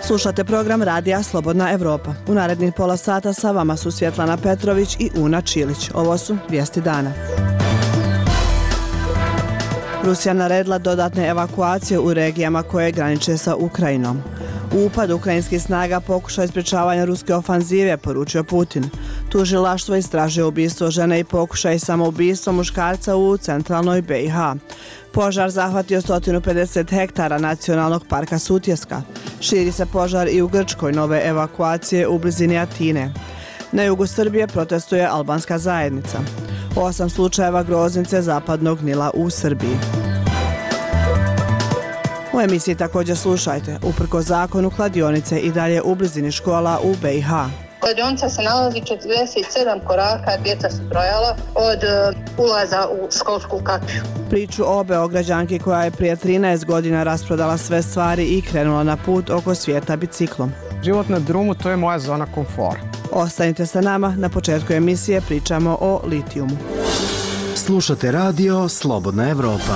Slušate program Radija Slobodna Evropa. U narednih pola sata sa vama su Svjetlana Petrović i Una Čilić. Ovo su vijesti dana. Rusija naredila dodatne evakuacije u regijama koje graniče sa Ukrajinom. Upad ukrajinskih snaga pokušaj sprječavanja ruske ofanzive, poručio Putin. Tužilaštvo istražuje ubistvo žene i pokušaj samoubistva muškarca u centralnoj BiH. Požar zahvatio 150 hektara nacionalnog parka Sutjeska. Širi se požar i u Grčkoj, nove evakuacije u blizini Atine. Na jugu Srbije protestuje albanska zajednica. 8 slučajeva groznice zapadnog Nila u Srbiji. U emisiji također slušajte, uprkos zakonu kladionice i dalje u blizini škola u BiH. Kladionica se nalazi 47 koraka, djeca su brojala od ulaza u školsku kapiju. Priču o Beograđanki koja je prije 13 godina rasprodala sve stvari i krenula na put oko svijeta biciklom. Život na drumu, to je moja zona komfora. Ostanite sa nama, na početku emisije pričamo o litijumu. Slušate radio Slobodna Evropa.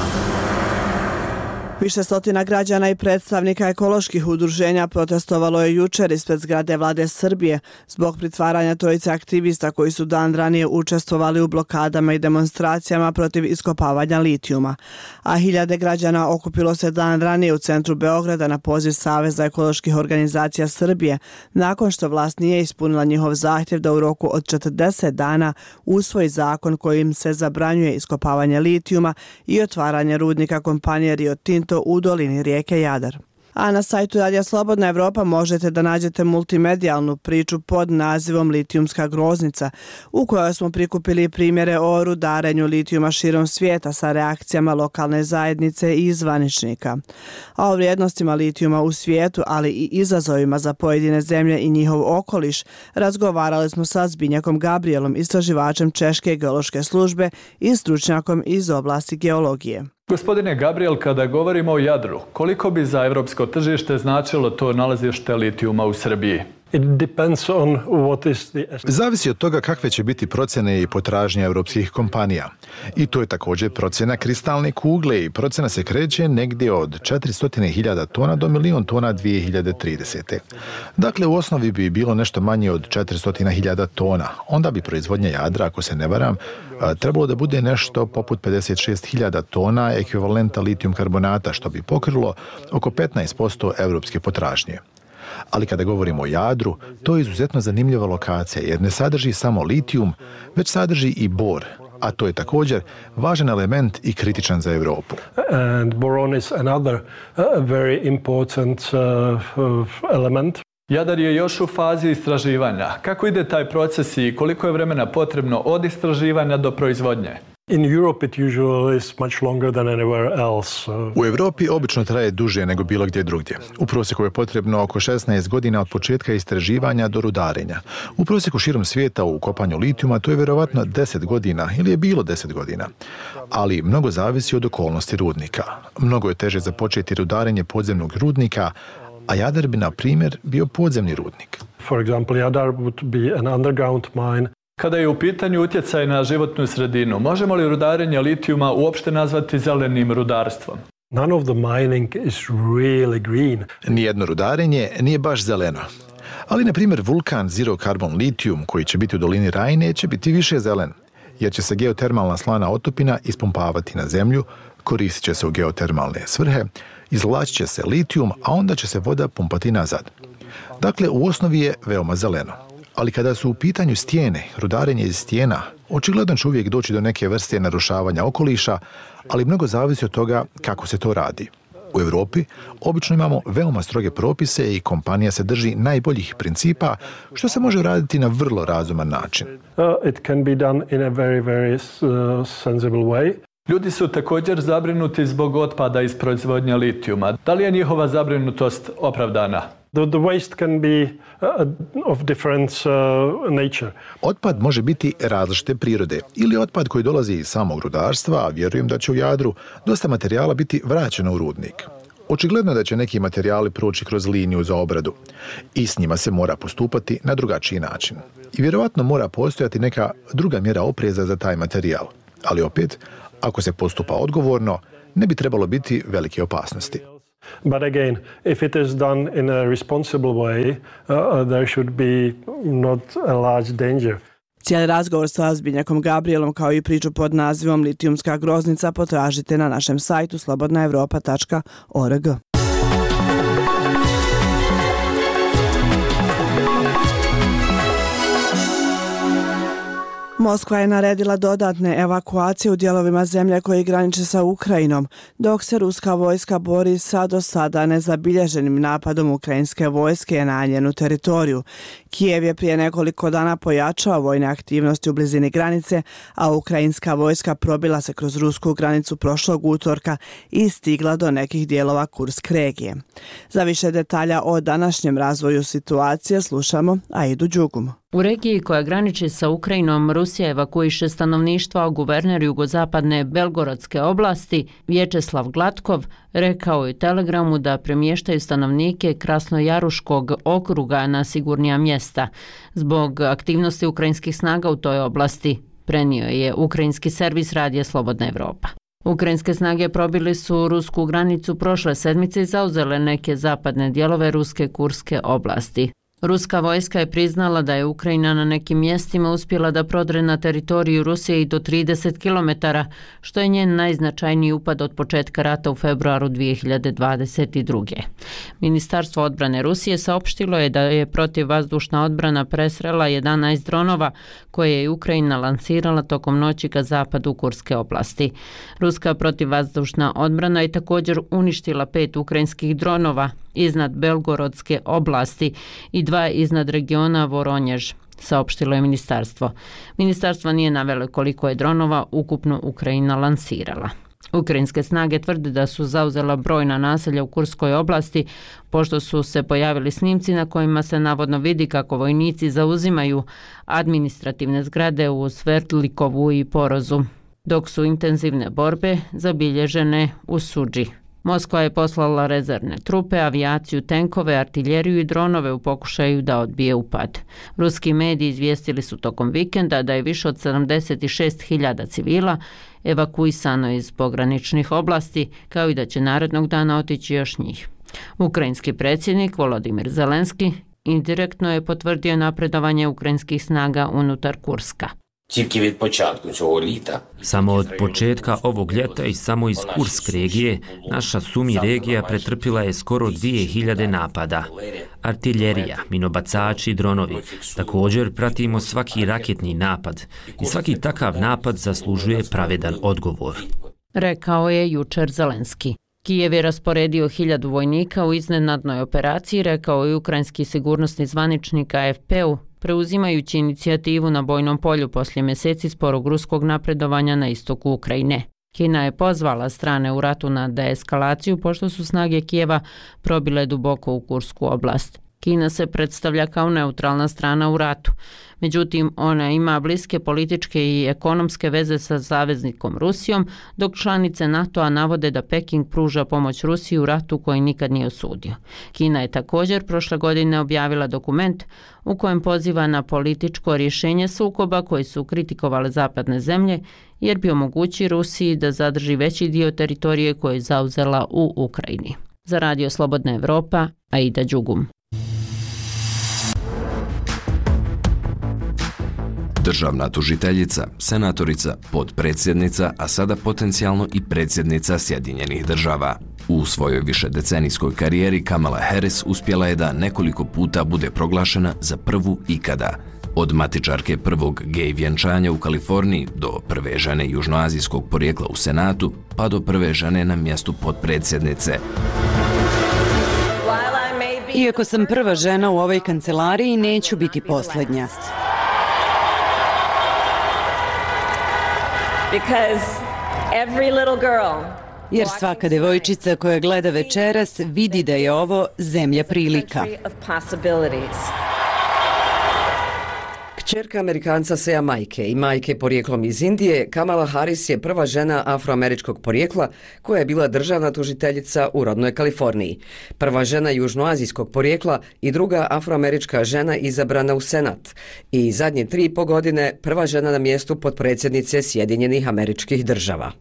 Više stotina građana i predstavnika ekoloških udruženja protestovalo je jučer ispred zgrade vlade Srbije zbog pritvaranja trojice aktivista koji su dan ranije učestvovali u blokadama i demonstracijama protiv iskopavanja litijuma. A hiljade građana okupilo se dan ranije u centru Beograda na poziv Saveza ekoloških organizacija Srbije nakon što vlast nije ispunila njihov zahtjev da u roku od 40 dana usvoji zakon kojim se zabranjuje iskopavanje litijuma i otvaranje rudnika kompanije Rio Tinto u dolini rijeke Jadar. A na sajtu Radija Slobodna Evropa možete da nađete multimedijalnu priču pod nazivom Litijumska groznica, u kojoj smo prikupili primjere o rudarenju litijuma širom svijeta sa reakcijama lokalne zajednice i zvaničnika. A o vrijednostima litijuma u svijetu, ali i izazovima za pojedine zemlje i njihov okoliš, razgovarali smo sa Zbinjakom Gabrielom, istraživačem Češke geološke službe i stručnjakom iz oblasti geologije. Gospodine Gabriel, kada govorimo o Jadru, koliko bi za evropsko tržište značilo to nalazište litijuma u Srbiji? Zavisi od toga kakve će biti procjene i potražnje europskih kompanija. I to je također procjena kristalne kugle i procjena se kreće negdje od 400.000 tona do 1.000.000 tona 2030. Dakle, u osnovi bi bilo nešto manje od 400.000 tona. Onda bi proizvodnja Jadra, ako se ne varam, trebalo da bude nešto poput 56.000 tona ekvivalenta litijum karbonata, što bi pokrilo oko 15% europske potražnje. Ali kada govorimo o Jadru, to je izuzetno zanimljiva lokacija jer ne sadrži samo litijum, već sadrži i bor, a to je također važan element i kritičan za Europu. And boron is another very important element. Jadar je još u fazi istraživanja. Kako ide taj proces i koliko je vremena potrebno od istraživanja do proizvodnje? In Europe it usually is much longer than anywhere else. U Europi obično traje duže nego bilo gdje drugdje. U prosjeku je potrebno oko 16 godina od početka istraživanja do rudarenja. U prosjeku širom svijeta u kopanju litijuma to je vjerovatno 10 godina ili je bilo 10 godina. Ali mnogo zavisi od okolnosti rudnika. Mnogo je teže započeti rudarenje podzemnog rudnika, a Jadar bi, na primjer, bio podzemni rudnik. For example, Jadar would be an underground mine. Kada je u pitanju utjecaj na životnu sredinu, možemo li rudarenje litijuma uopšte nazvati zelenim rudarstvom? None of the mining is really green. Nijedno rudarenje nije baš zeleno. Ali, na primjer, vulkan Zero Carbon Lithium, koji će biti u dolini Rajne, će biti više zelen, jer će se geotermalna slana otopina ispumpavati na zemlju, koristit će se u geotermalne svrhe, izvlačit će se litijum, a onda će se voda pumpati nazad. Dakle, u osnovi je veoma zeleno. Ali kada su u pitanju stijene, rudarenje iz stijena, očigledno će uvijek doći do neke vrste narušavanja okoliša, ali mnogo zavisi od toga kako se to radi. U Europi obično imamo veoma stroge propise i kompanija se drži najboljih principa, što se može raditi na vrlo razuman način. It can be done in a very sensible way. Ljudi su također zabrinuti zbog otpada iz proizvodnje litijuma. Da li je njihova zabrinutost opravdana? The waste can be of different nature. Otpad može biti različite prirode ili otpad koji dolazi iz samog rudarstva, a vjerujem da će u Jadru dosta materijala biti vraćeno u rudnik. Očigledno da će neki materijali proći kroz liniju za obradu i s njima se mora postupati na drugačiji način. I vjerovatno mora postojati neka druga mjera opreza za taj materijal. Ali opet, Ako se postupa odgovorno, ne bi trebalo biti velike opasnosti. But again, if it is done in a responsible way, there should be not a large danger. Cijeli razgovor sa Zbignjakom Gabrielom kao i priču pod nazivom Litijumska groznica potražite na našem sajtu slobodnaevropa.org. Moskva je naredila dodatne evakuacije u dijelovima zemlje koji graniče sa Ukrajinom, dok se ruska vojska bori sa do sada nezabilježenim napadom ukrajinske vojske na njenu teritoriju. Kijev je prije nekoliko dana pojačao vojne aktivnosti u blizini granice, a ukrajinska vojska probila se kroz rusku granicu prošlog utorka i stigla do nekih dijelova Kursk regije. Za više detalja o današnjem razvoju situacije slušamo Aidu Đugum. U regiji koja graniči sa Ukrajinom, Rusija evakuiše stanovništvo, a guverner jugozapadne Belgorodske oblasti, Vječeslav Glatkov, rekao je u Telegramu da premještaju stanovnike Krasnojaruškog okruga na sigurnija mjesta. Zbog aktivnosti ukrajinskih snaga u toj oblasti, prenio je ukrajinski servis radija Slobodna Evropa. Ukrajinske snage probili su rusku granicu prošle sedmice i zauzele neke zapadne dijelove ruske Kurske oblasti. Ruska vojska je priznala da je Ukrajina na nekim mjestima uspjela da prodre na teritoriju Rusije i do 30 km, što je njen najznačajniji upad od početka rata u februaru 2022. Ministarstvo odbrane Rusije saopštilo je da je protivvazdušna odbrana presrela 11 dronova koje je Ukrajina lansirala tokom noći ka zapadu Kurske oblasti. Ruska protivvazdušna odbrana je također uništila 5 ukrajinskih dronova iznad Belgorodske oblasti i 2 iznad regiona Voronjež, saopštilo je ministarstvo. Ministarstvo nije navelo koliko je dronova ukupno Ukrajina lansirala. Ukrajinske snage tvrde da su zauzela brojna naselja u Kurskoj oblasti, pošto su se pojavili snimci na kojima se navodno vidi kako vojnici zauzimaju administrativne zgrade u Sverdlikovu i Porozu, dok su intenzivne borbe zabilježene u Suđi. Moskva je poslala rezervne trupe, avijaciju, tenkove, artiljeriju i dronove u pokušaju da odbije upad. Ruski mediji izvijestili su tokom vikenda da je više od 76.000 civila evakuisano iz pograničnih oblasti, kao i da će narednog dana otići još njih. Ukrajinski predsjednik Volodimir Zelenski indirektno je potvrdio napredovanje ukrajinskih snaga unutar Kurska. Samo od početka ovog ljeta i samo iz Kursk regije, naša Sumi regija pretrpila je skoro 2000 napada. Artiljerija, minobacači i dronovi. Također pratimo svaki raketni napad i svaki takav napad zaslužuje pravedan odgovor. Rekao je jučer Zelenski. Kijev je rasporedio 1000 vojnika u iznenadnoj operaciji, rekao je ukrajinski sigurnosni zvaničnik AFP-u, preuzimajući inicijativu na bojnom polju poslije mjeseci sporog ruskog napredovanja na istoku Ukrajine. Kina je pozvala strane u ratu na deeskalaciju pošto su snage Kijeva probile duboko u Kursku oblast. Kina se predstavlja kao neutralna strana u ratu. Međutim, ona ima bliske političke i ekonomske veze sa saveznikom Rusijom, dok članice NATO-a navode da Peking pruža pomoć Rusiji u ratu koji nikad nije osudio. Kina je također prošle godine objavila dokument u kojem poziva na političko rješenje sukoba koji su kritikovale zapadne zemlje, jer bi omogući Rusiji da zadrži veći dio teritorije koje je zauzela u Ukrajini. Za Radio Slobodna Evropa, Aida Đugum. Državna tužiteljica, senatorica, potpredsjednica, a sada potencijalno i predsjednica Sjedinjenih Država. U svojoj višedecenijskoj karijeri Kamala Harris uspjela je da nekoliko puta bude proglašena za prvu ikada. Od matičarke prvog gej vjenčanja u Kaliforniji do prve žene južnoazijskog porijekla u Senatu, pa do prve žene na mjestu potpredsjednice. Iako sam prva žena u ovoj kancelariji, neću biti posljednja. Jer svaka devojčica koja gleda večeras vidi da je ovo zemlja prilika. Ćerka Amerikanca sa Jamajke i majke porijeklom iz Indije, Kamala Harris je prva žena afroameričkog porijekla koja je bila državna tužiteljica u rodnoj Kaliforniji. Prva žena južnoazijskog porijekla i druga afroamerička žena izabrana u Senat. I zadnje 3,5 godine prva žena na mjestu potpredsjednice Sjedinjenih Američkih Država.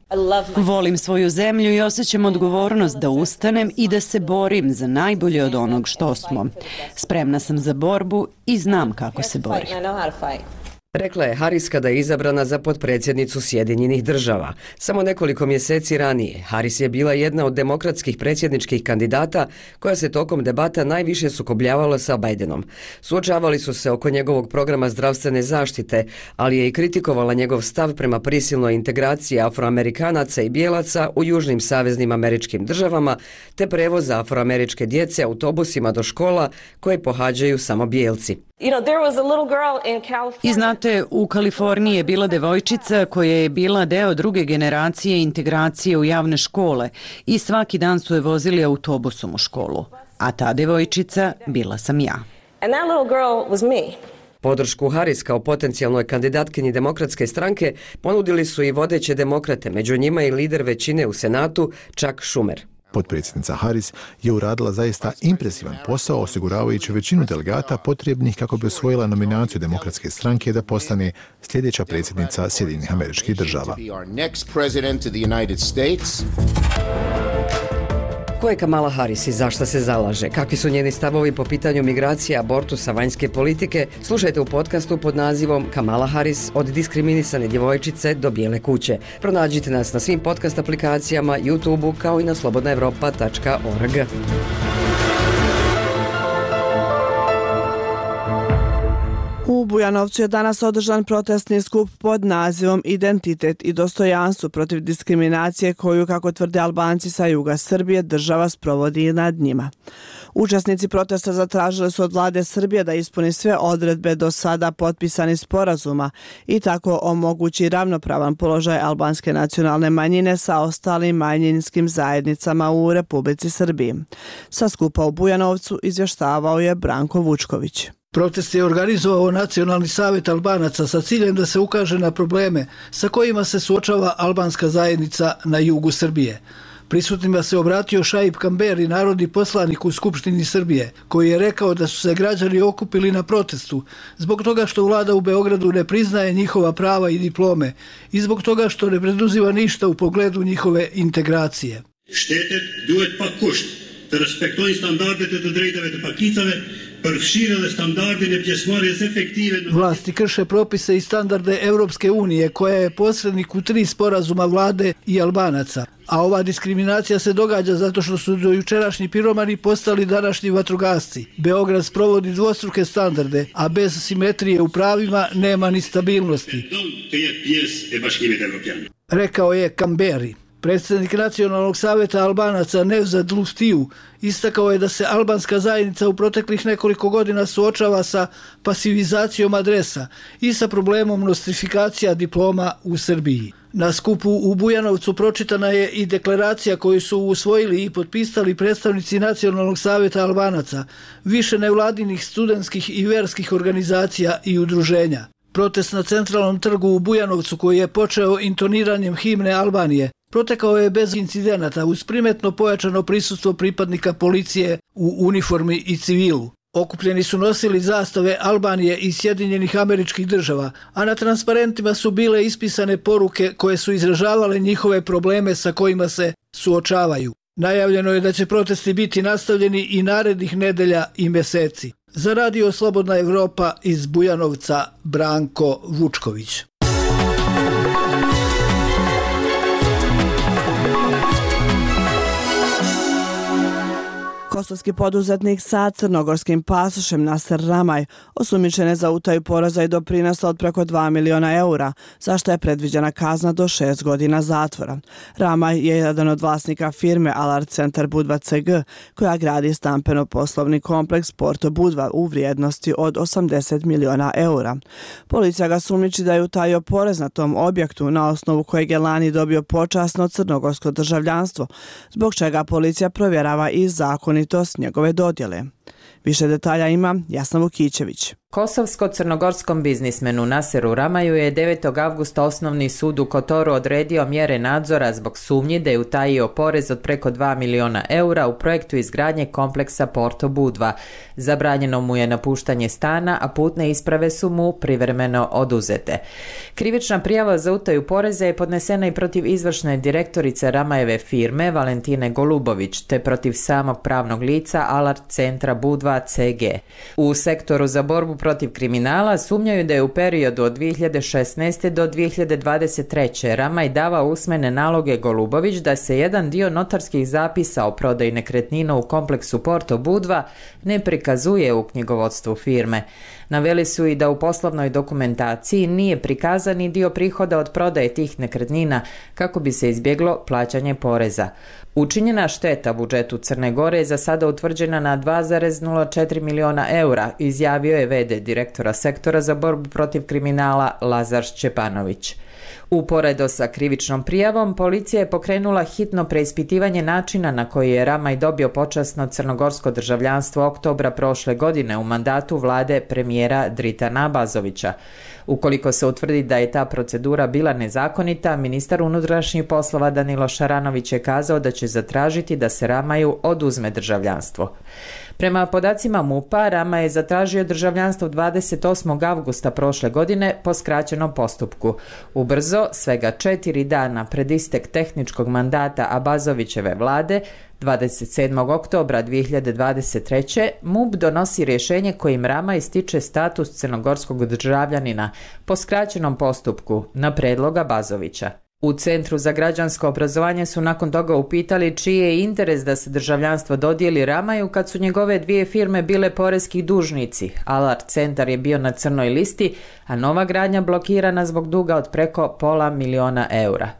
Volim svoju zemlju i osjećam odgovornost da ustanem i da se borim za najbolje od onog što smo. Spremna sam za borbu i znam kako se bori. Rekla je Harris kada je izabrana za potpredsjednicu Sjedinjenih Država. Samo nekoliko mjeseci ranije Harris je bila jedna od demokratskih predsjedničkih kandidata koja se tokom debata najviše sukobljavala sa Bidenom. Suočavali su se oko njegovog programa zdravstvene zaštite, ali je i kritikovala njegov stav prema prisilnoj integraciji afroamerikanaca i bijelaca u južnim saveznim američkim državama te prevoza afroameričke djece autobusima do škola koje pohađaju samo bijelci. I znate, u Kaliforniji je bila devojčica koja je bila deo druge generacije integracije u javne škole i svaki dan su je vozili autobusom u školu. A ta devojčica bila sam ja. Podršku Harris kao potencijalnoj kandidatkinji demokratske stranke ponudili su i vodeće demokrate, među njima i lider većine u Senatu, Chuck Schumer. Potpredsjednica Harris je uradila zaista impresivan posao osiguravajući većinu delegata potrebnih kako bi osvojila nominaciju demokratske stranke da postane sljedeća predsjednica Sjedinjenih Američkih Država. Ko je Kamala Harris i zašto se zalaže? Kakvi su njeni stavovi po pitanju migracija, abortusa, vanjske politike? Slušajte u podcastu pod nazivom Kamala Harris od diskriminisane djevojčice do bijele kuće. Pronađite nas na svim podcast aplikacijama, YouTubeu kao i na slobodnaevropa.org. U Bujanovcu je danas održan protestni skup pod nazivom Identitet i dostojanstvo protiv diskriminacije koju, kako tvrde Albanci sa juga Srbije, država sprovodi nad njima. Učesnici protesta zatražili su od vlade Srbije da ispuni sve odredbe do sada potpisanih sporazuma i tako omogući ravnopravan položaj albanske nacionalne manjine sa ostalim manjinskim zajednicama u Republici Srbiji. Sa skupa u Bujanovcu izvještavao je Branko Vučković. Protest je organizovao Nacionalni savjet Albanaca sa ciljem da se ukaže na probleme sa kojima se suočava albanska zajednica na jugu Srbije. Prisutnima se obratio Šaip Kamberi, narodni poslanik u Skupštini Srbije, koji je rekao da su se građani okupili na protestu zbog toga što vlada u Beogradu ne priznaje njihova prava i diplome i zbog toga što ne preduzima ništa u pogledu njihove integracije. Shtetet duhet pa kusht të respektojnë standardet e të drejtave të pakicave, përfshirë standardin e pjesëmarrjes efektive. Vlasti krše propise i standarde Europske unije, koja je posrednik u 3 sporazuma vlade i Albanaca. A ova diskriminacija se događa zato što su do jučerašnji piromani postali današnji vatrogasci. Beograd sprovodi dvostruke standarde, a bez simetrije u pravima nema ni stabilnosti. Rekao je Kamberi. Predsjednik Nacionalnog savjeta Albanaca Nevzat Luftiju istakao je da se albanska zajednica u proteklih nekoliko godina suočava sa pasivizacijom adresa i sa problemom nostrifikacija diploma u Srbiji. Na skupu u Bujanovcu pročitana je i deklaracija koju su usvojili i potpisali predstavnici Nacionalnog savjeta Albanaca, više nevladinih studentskih i verskih organizacija i udruženja. Protest na centralnom trgu u Bujanovcu, koji je počeo intoniranjem himne Albanije, protekao je bez incidenata uz primetno pojačano prisustvo pripadnika policije u uniformi i civilu. Okupljeni su nosili zastave Albanije i Sjedinjenih Američkih Država, a na transparentima su bile ispisane poruke koje su izražavale njihove probleme sa kojima se suočavaju. Najavljeno je da će protesti biti nastavljeni i narednih nedelja i mjeseci. Za radio Slobodna Evropa iz Bujanovca, Branko Vučković. Kosovski poduzetnik sa crnogorskim pasošem Naser Ramaj osumnjičen je za utaju poreza i doprinosa od preko 2 miliona eura, za što je predviđena kazna do 6 godina zatvora. Ramaj je jedan od vlasnika firme Alart Centar Budva CG, koja gradi stampeno-poslovni kompleks Porto Budva u vrijednosti od 80 miliona eura. Policija ga sumnjiči da je utajio porez na tom objektu, na osnovu kojeg je lani dobio počasno crnogorsko državljanstvo, zbog čega policija provjerava i zakonitost njegove dodjele. Više detalja ima Jasna Vukićević. Kosovsko-crnogorskom biznismenu Naseru Ramaju je 9. avgusta Osnovni sud u Kotoru odredio mjere nadzora zbog sumnji da je utajio porez od preko 2 miliona eura u projektu izgradnje kompleksa Porto Budva. Zabranjeno mu je napuštanje stana, a putne isprave su mu privremeno oduzete. Krivična prijava za utaju poreza je podnesena i protiv izvršne direktorice Ramajeve firme Valentine Golubović, te protiv samog pravnog lica Alert centra Budva CG. U sektoru za borbu protiv kriminala sumnjaju da je u periodu od 2016. do 2023. Ramaj davao usmene naloge Golubović da se jedan dio notarskih zapisa o prodaji nekretnina u kompleksu Porto Budva ne prikazuje u knjigovodstvu firme. Naveli su i da u poslovnoj dokumentaciji nije prikazan i dio prihoda od prodaje tih nekretnina kako bi se izbjeglo plaćanje poreza. Učinjena šteta budžetu Crne Gore je za sada utvrđena na 2,04 miliona eura, izjavio je v.d. direktora sektora za borbu protiv kriminala Lazar Šćepanović. Uporedo sa krivičnom prijavom, policija je pokrenula hitno preispitivanje načina na koji je Ramaj dobio počasno crnogorsko državljanstvo oktobra prošle godine u mandatu vlade premijera Dritana Abazovića. Ukoliko se utvrdi da je ta procedura bila nezakonita, ministar unutrašnjih poslova Danilo Šaranović je kazao da će zatražiti da se Ramaju oduzme državljanstvo. Prema podacima MUP-a, Rama je zatražio državljanstvo 28. avgusta prošle godine po skraćenom postupku. Ubrzo, svega 4 dana pred istek tehničkog mandata Abazovićeve vlade, 27. oktobra 2023. MUP donosi rješenje kojim Rama ističe status crnogorskog državljanina po skraćenom postupku na predlog Abazovića. U Centru za građansko obrazovanje su nakon toga upitali čiji je interes da se državljanstvo dodijeli Ramaju kad su njegove dvije firme bile porezki dužnici. Alert centar je bio na crnoj listi, a nova gradnja blokirana zbog duga od preko $500 000 eura.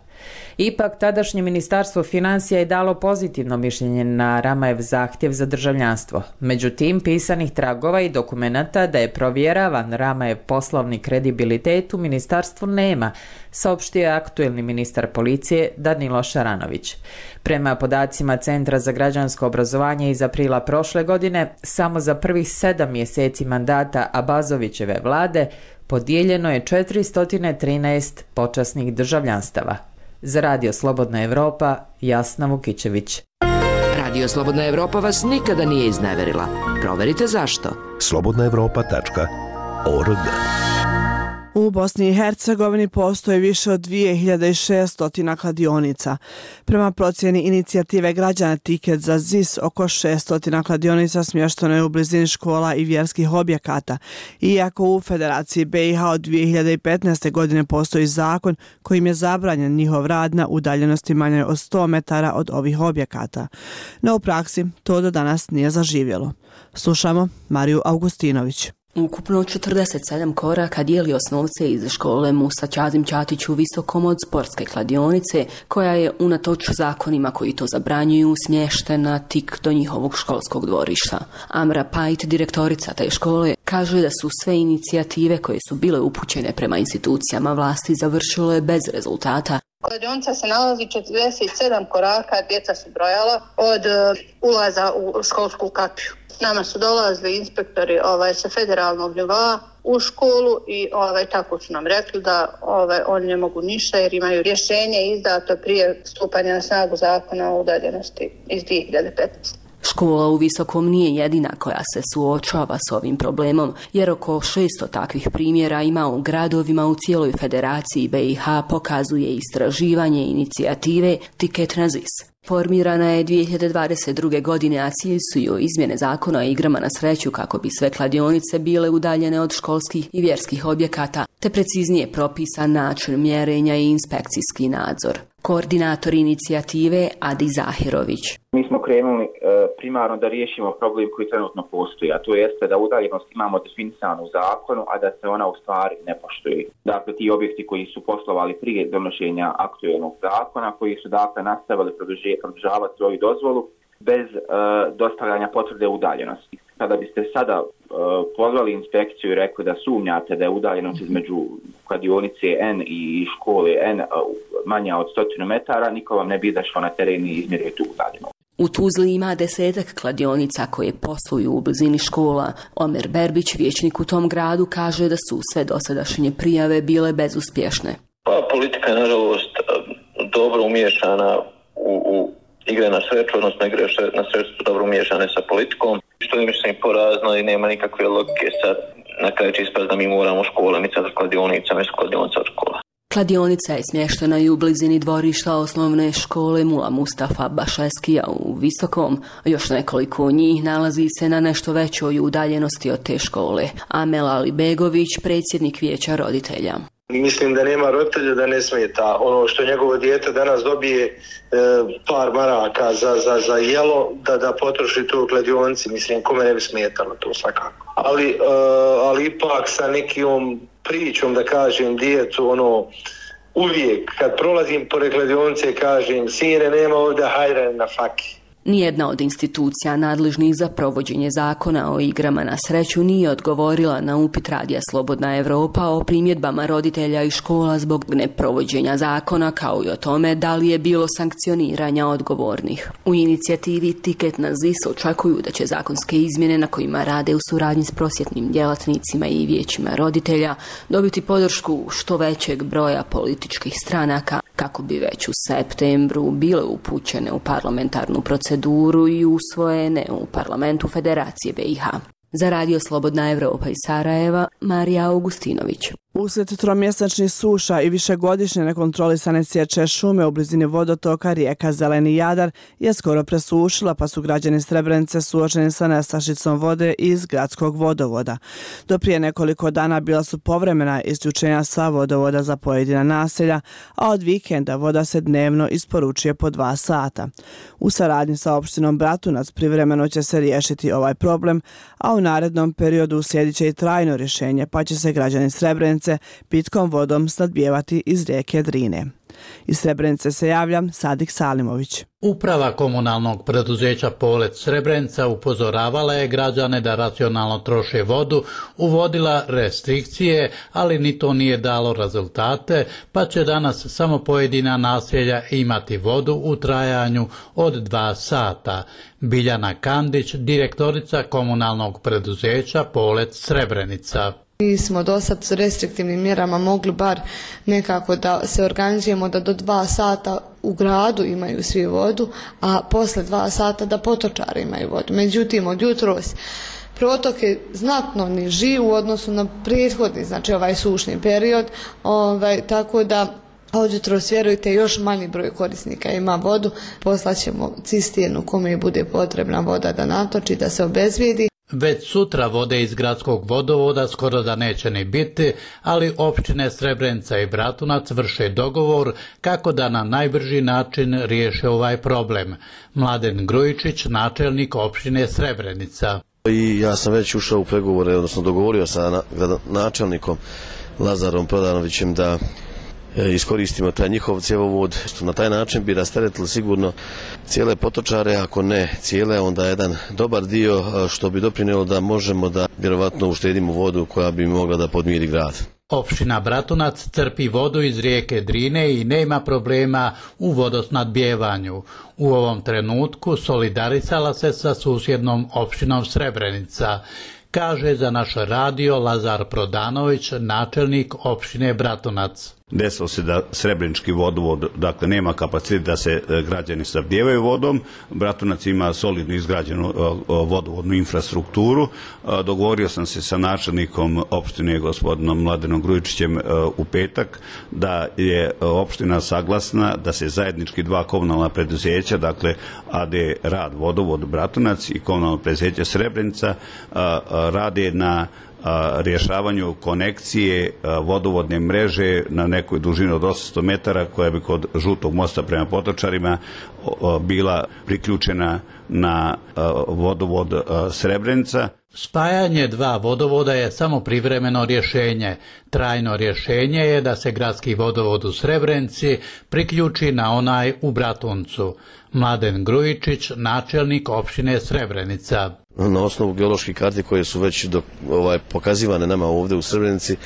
Ipak, tadašnje ministarstvo financija je dalo pozitivno mišljenje na Ramajev zahtjev za državljanstvo. Međutim, pisanih tragova i dokumenata da je provjeravan Ramajev poslovni kredibilitet u ministarstvu nema, saopštio je aktuelni ministar policije Danilo Šaranović. Prema podacima Centra za građansko obrazovanje iz aprila prošle godine, samo za prvih 7 mjeseci mandata Abazovićeve vlade podijeljeno je 413 počasnih državljanstava. Za Radio Slobodna Evropa, Jasna Vukićević. Radio Slobodna Evropa vas nikada nije izneverila. Proverite zašto. slobodnaevropa.org. U Bosni i Hercegovini postoji više od 2600 kladionica. Prema procjeni inicijative građana Tiket za ZIS, oko 600 kladionica smješteno je u blizini škola i vjerskih objekata. Iako u Federaciji BiH od 2015. godine postoji zakon kojim je zabranjen njihov rad na udaljenosti manje od 100 metara od ovih objekata. No u praksi to do danas nije zaživjelo. Slušamo Mariju Augustinović. Ukupno 47 koraka dijeli osnovce iz škole Musa Ćazim Ćatić u Visokom od sportske kladionice, koja je unatoč zakonima koji to zabranjuju smještena tik do njihovog školskog dvorišta. Amra Pajt, direktorica te škole, kaže da su sve inicijative koje su bile upućene prema institucijama vlasti završile bez rezultata. Kladionica se nalazi 47 koraka, djeca su brojala od ulaza u školsku kapiju. Nama su dolazili inspektori sa federalnog nivoa u školu i tako su nam rekli da oni ne mogu ništa jer imaju rješenje izdato prije stupanja na snagu zakona o udaljenosti iz 2015. Škola u Visokom nije jedina koja se suočava s ovim problemom, jer oko 600 takvih primjera ima u gradovima u cijeloj Federaciji BiH, pokazuje istraživanje inicijative Tiket na ZIS. Formirana je 2022. godine, a cilj su joj izmjene zakona o igrama na sreću kako bi sve kladionice bile udaljene od školskih i vjerskih objekata, te preciznije propisan način mjerenja i inspekcijski nadzor. Koordinator inicijative Adi Zahirović. Mi smo krenuli primarno da riješimo problem koji trenutno postoji, a to jeste da udaljenost imamo definisanu u zakonu, a da se ona u stvari ne poštuje. Dakle, ti objekti koji su poslovali prije donošenja aktuelnog zakona, koji su dakle nastavili produžavati svoju dozvolu bez dostavljanja potvrde udaljenosti. Kada biste sada pozvali inspekciju i rekli da sumnjate da je udaljenost između kladionice N i škole N manja od 100 metara, niko vam ne bi izašao na teren i izmjerio tu udaljenost. U Tuzli ima 10 kladionica koje posluju u blizini škola. Omer Berbić, vijećnik u tom gradu, kaže da su sve dosadašnje prijave bile bezuspješne. Politika je nažalost dobro umiješana u igre na sreću, odnosno igre na sreću su dobro umiješane sa politikom, što je mislim porazno i nema nikakve logike. Sad na kraju će ispast da mi moramo škole micati kladionicama i kladionica od škola. Kladionica je smještena i u blizini dvorišta osnovne škole Mula Mustafa Bašeskija u Visokom. Još nekoliko njih nalazi se na nešto većoj udaljenosti od te škole. Amel Alibegović, predsjednik vijeća roditelja. Mislim da nema roditelja da ne smeta ono što njegovo dijete danas dobije par maraka za jelo da potroši to u kladionci. Mislim, kome ne bi smetalo to svakako. Ali ipak sa nekim pričom da kažem djecu uvijek kad prolazim pored kladionice kažem sine nema ovdje hajde na faki. Nijedna od institucija nadležnih za provođenje zakona o igrama na sreću nije odgovorila na upit Radija Slobodna Evropa o primjedbama roditelja i škola zbog neprovođenja zakona, kao i o tome da li je bilo sankcioniranja odgovornih. U inicijativi Tiket na ZIS očekuju da će zakonske izmjene na kojima rade u suradnji s prosvjetnim djelatnicima i vijećima roditelja dobiti podršku što većeg broja političkih stranaka kako bi već u septembru bile upućene u parlamentarnu proceduru i usvojene u parlamentu Federacije BiH. Za Radio Slobodna Evropa iz Sarajeva, Marija Augustinović. Uslijed tromjesečnih suša i višegodišnje nekontrolisane sječe šume u blizini vodotoka rijeka Zeleni Jadar je skoro presušila, pa su građani Srebrenice suočeni sa nestašicom vode iz gradskog vodovoda. Do prije nekoliko dana bila su povremena isključenja sa vodovoda za pojedina naselja, a od vikenda voda se dnevno isporučuje po 2 sata. U saradnji sa opštinom Bratunac privremeno će se riješiti ovaj problem, a u narednom periodu uslijedit će i trajno rješenje, pa će se građani Srebrenice pitkom vodom snadbijevati iz rijeke Drine. Iz Srebrenice se javlja Sadik Salimović. Uprava komunalnog preduzeća Polet Srebrenica upozoravala je građane da racionalno troše vodu, uvodila restrikcije, ali ni to nije dalo rezultate, pa će danas samo pojedina naselja imati vodu u trajanju od 2 sata. Biljana Kandić, direktorica komunalnog preduzeća Polet Srebrenica. Mi smo do sad s restriktivnim mjerama mogli bar nekako da se organizujemo da do 2 sata u gradu imaju svi vodu, a posle 2 sata da potočari imaju vodu. Međutim, od jutros protok je znatno niži u odnosu na prethodni, znači ovaj sušni period, tako da od jutros, vjerujte, još manji broj korisnika ima vodu. Poslaćemo cisternu kome bude potrebna voda da natoči, da se obezvijedi. Već sutra vode iz gradskog vodovoda skoro da neće ni biti, ali općine Srebrenica i Bratunac vrše dogovor kako da na najbrži način riješe ovaj problem. Mladen Grujičić, načelnik općine Srebrenica. I ja sam već ušao u pregovore, odnosno dogovorio sa načelnikom Lazarom Prodanovićem da iskoristimo taj njihov cjevovod. Na taj način bi rasteretili sigurno cijele potočare, ako ne cijele, onda jedan dobar dio što bi doprinijelo da možemo da vjerovatno uštedimo vodu koja bi mogla da podmiri grad. Opština Bratunac crpi vodu iz rijeke Drine i nema problema u vodosnadbijevanju. U ovom trenutku solidarisala se sa susjednom opštinom Srebrenica, kaže za naš radio Lazar Prodanović, načelnik opštine Bratunac. Desilo se da Srebrenički vodovod, dakle, nema kapacitet da se građani snabdijevaju vodom. Bratunac ima solidno izgrađenu vodovodnu infrastrukturu. Dogovorio sam se sa načelnikom opštine gospodinom Mladenom Grujičićem u petak da je opština saglasna da se zajednički 2 komunalna preduzeća, dakle AD Rad Vodovod Bratunac i komunalno preduzeće Srebrenica, rade na rješavanju konekcije vodovodne mreže na nekoj dužini od 800 metara koja bi kod Žutog mosta prema Potočarima bila priključena na vodovod Srebrenica. Spajanje 2 vodovoda je samo privremeno rješenje. Trajno rješenje je da se gradski vodovod u Srebrenici priključi na onaj u Bratuncu. Mladen Grujičić, načelnik opštine Srebrenica. na osnovu geoloških karti koje su već pokazivane nama ovdje u Srebrenici.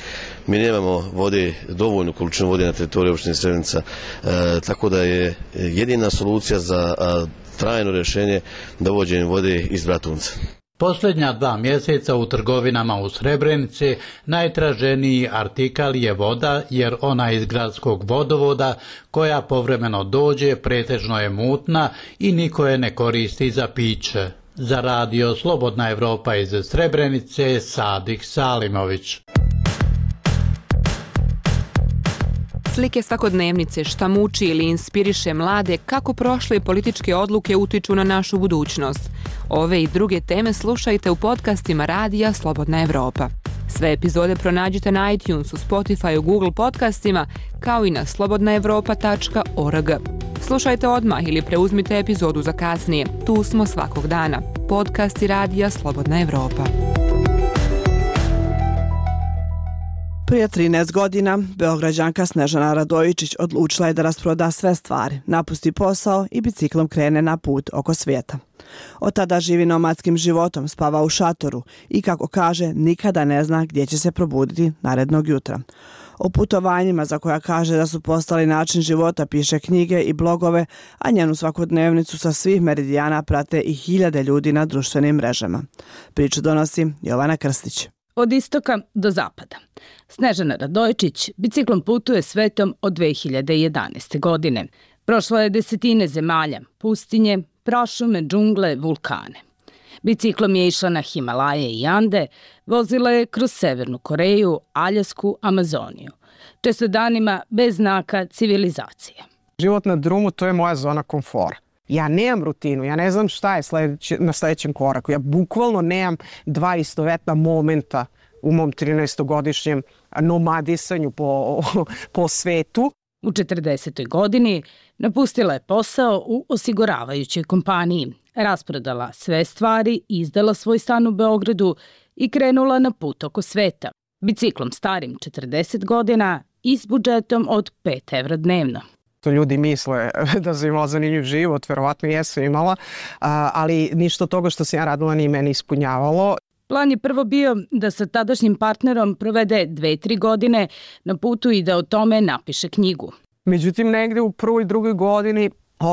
Mi nemamo vode, dovoljnu količinu vode na teritoriju opštine Srebrenica, tako da je jedina solucija za trajno rješenje dovođenje vode iz Bratunca. Posljednja 2 mjeseca u trgovinama u Srebrenici najtraženiji artikal je voda, jer ona iz gradskog vodovoda koja povremeno dođe pretežno je mutna i niko je ne koristi za piće. Za radio Slobodna Evropa iz Srebrenice, Sadik Salimović. Slike svakodnevnice, šta muči ili inspiriše mlade, kako prošle političke odluke utiču na našu budućnost. Ove i druge teme slušajte u podcastima radija Slobodna Evropa. Sve epizode pronađite na iTunesu, Spotifyu, Google podcastima, kao i na slobodnaevropa.org. Slušajte odmah ili preuzmite epizodu za kasnije. Tu smo svakog dana. Podcasti radija Slobodna Evropa. Prije 13 godina, Beograđanka Snežana Radojičić odlučila je da rasproda sve stvari, napusti posao i biciklom krene na put oko svijeta. Od tada živi nomadskim životom, spava u šatoru i, kako kaže, nikada ne zna gdje će se probuditi narednog jutra. O putovanjima za koja kaže da su postali način života piše knjige i blogove, a njenu svakodnevnicu sa svih meridijana prate i 1000 ljudi na društvenim mrežama. Priču donosi Jovana Krstić. Od istoka do zapada. Snežana Radojičić biciklom putuje svetom od 2011. godine. Prošla je 10 zemalja, pustinje, prašume, džungle, vulkane. Biciklom je išla na Himalaje i Ande, vozila je kroz Severnu Koreju, Aljasku, Amazoniju. Često danima bez znaka civilizacije. Život na drumu, to je moja zona komfora. Ja nemam rutinu, ja ne znam šta je na sljedećem koraku. Ja bukvalno nemam 2 istovetna momenta u mom 13-godišnjem nomadisanju po svetu. U 40. godini napustila je posao u osiguravajućoj kompaniji, rasprodala sve stvari, izdala svoj stan u Beogradu i krenula na put oko sveta. Biciklom starim 40 godina i s budžetom od 5 evra dnevno. To ljudi misle da sam imala zanimljiv život, verovatno jesam imala, ali ništa od toga što sam ja radila nije meni ispunjavalo. Plan je prvo bio da sa tadašnjim partnerom provede 2-3 godine na putu i da o tome napiše knjigu. Međutim, negde u 1. i 2. godini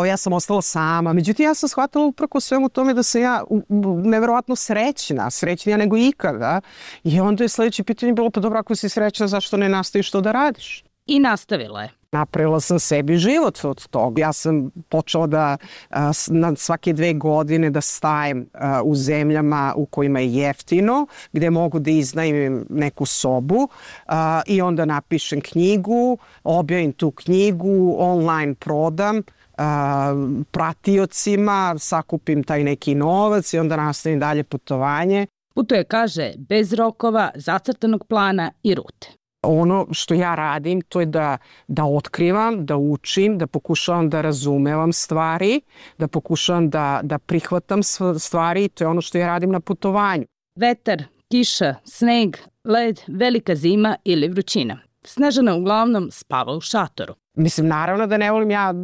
ja sam ostala sama. Međutim, ja sam shvatila upravo svemu tome da sam ja neverovatno srećnija nego ikada. I onda je sljedeće pitanje bilo, pa dobro, ako si srećna, zašto ne nastaviš to da radiš? I nastavila je. Napravila sam sebi život od toga. Ja sam počela da na svake 2 godine da stajem u zemljama u kojima je jeftino, gdje mogu da iznajmim neku sobu i onda napišem knjigu, objavim tu knjigu, online prodam pratiocima, sakupim taj neki novac i onda nastavim dalje putovanje. Putuje, kaže, bez rokova, zacrtanog plana i rute. Ono što ja radim, to je da otkrivam, da učim, da pokušavam da razumevam stvari, da pokušavam da prihvatam stvari. To je ono što ja radim na putovanju. Vetar, kiša, sneg, led, velika zima ili vrućina. Snežana uglavnom spava u šatoru. Mislim, naravno da ne volim ja,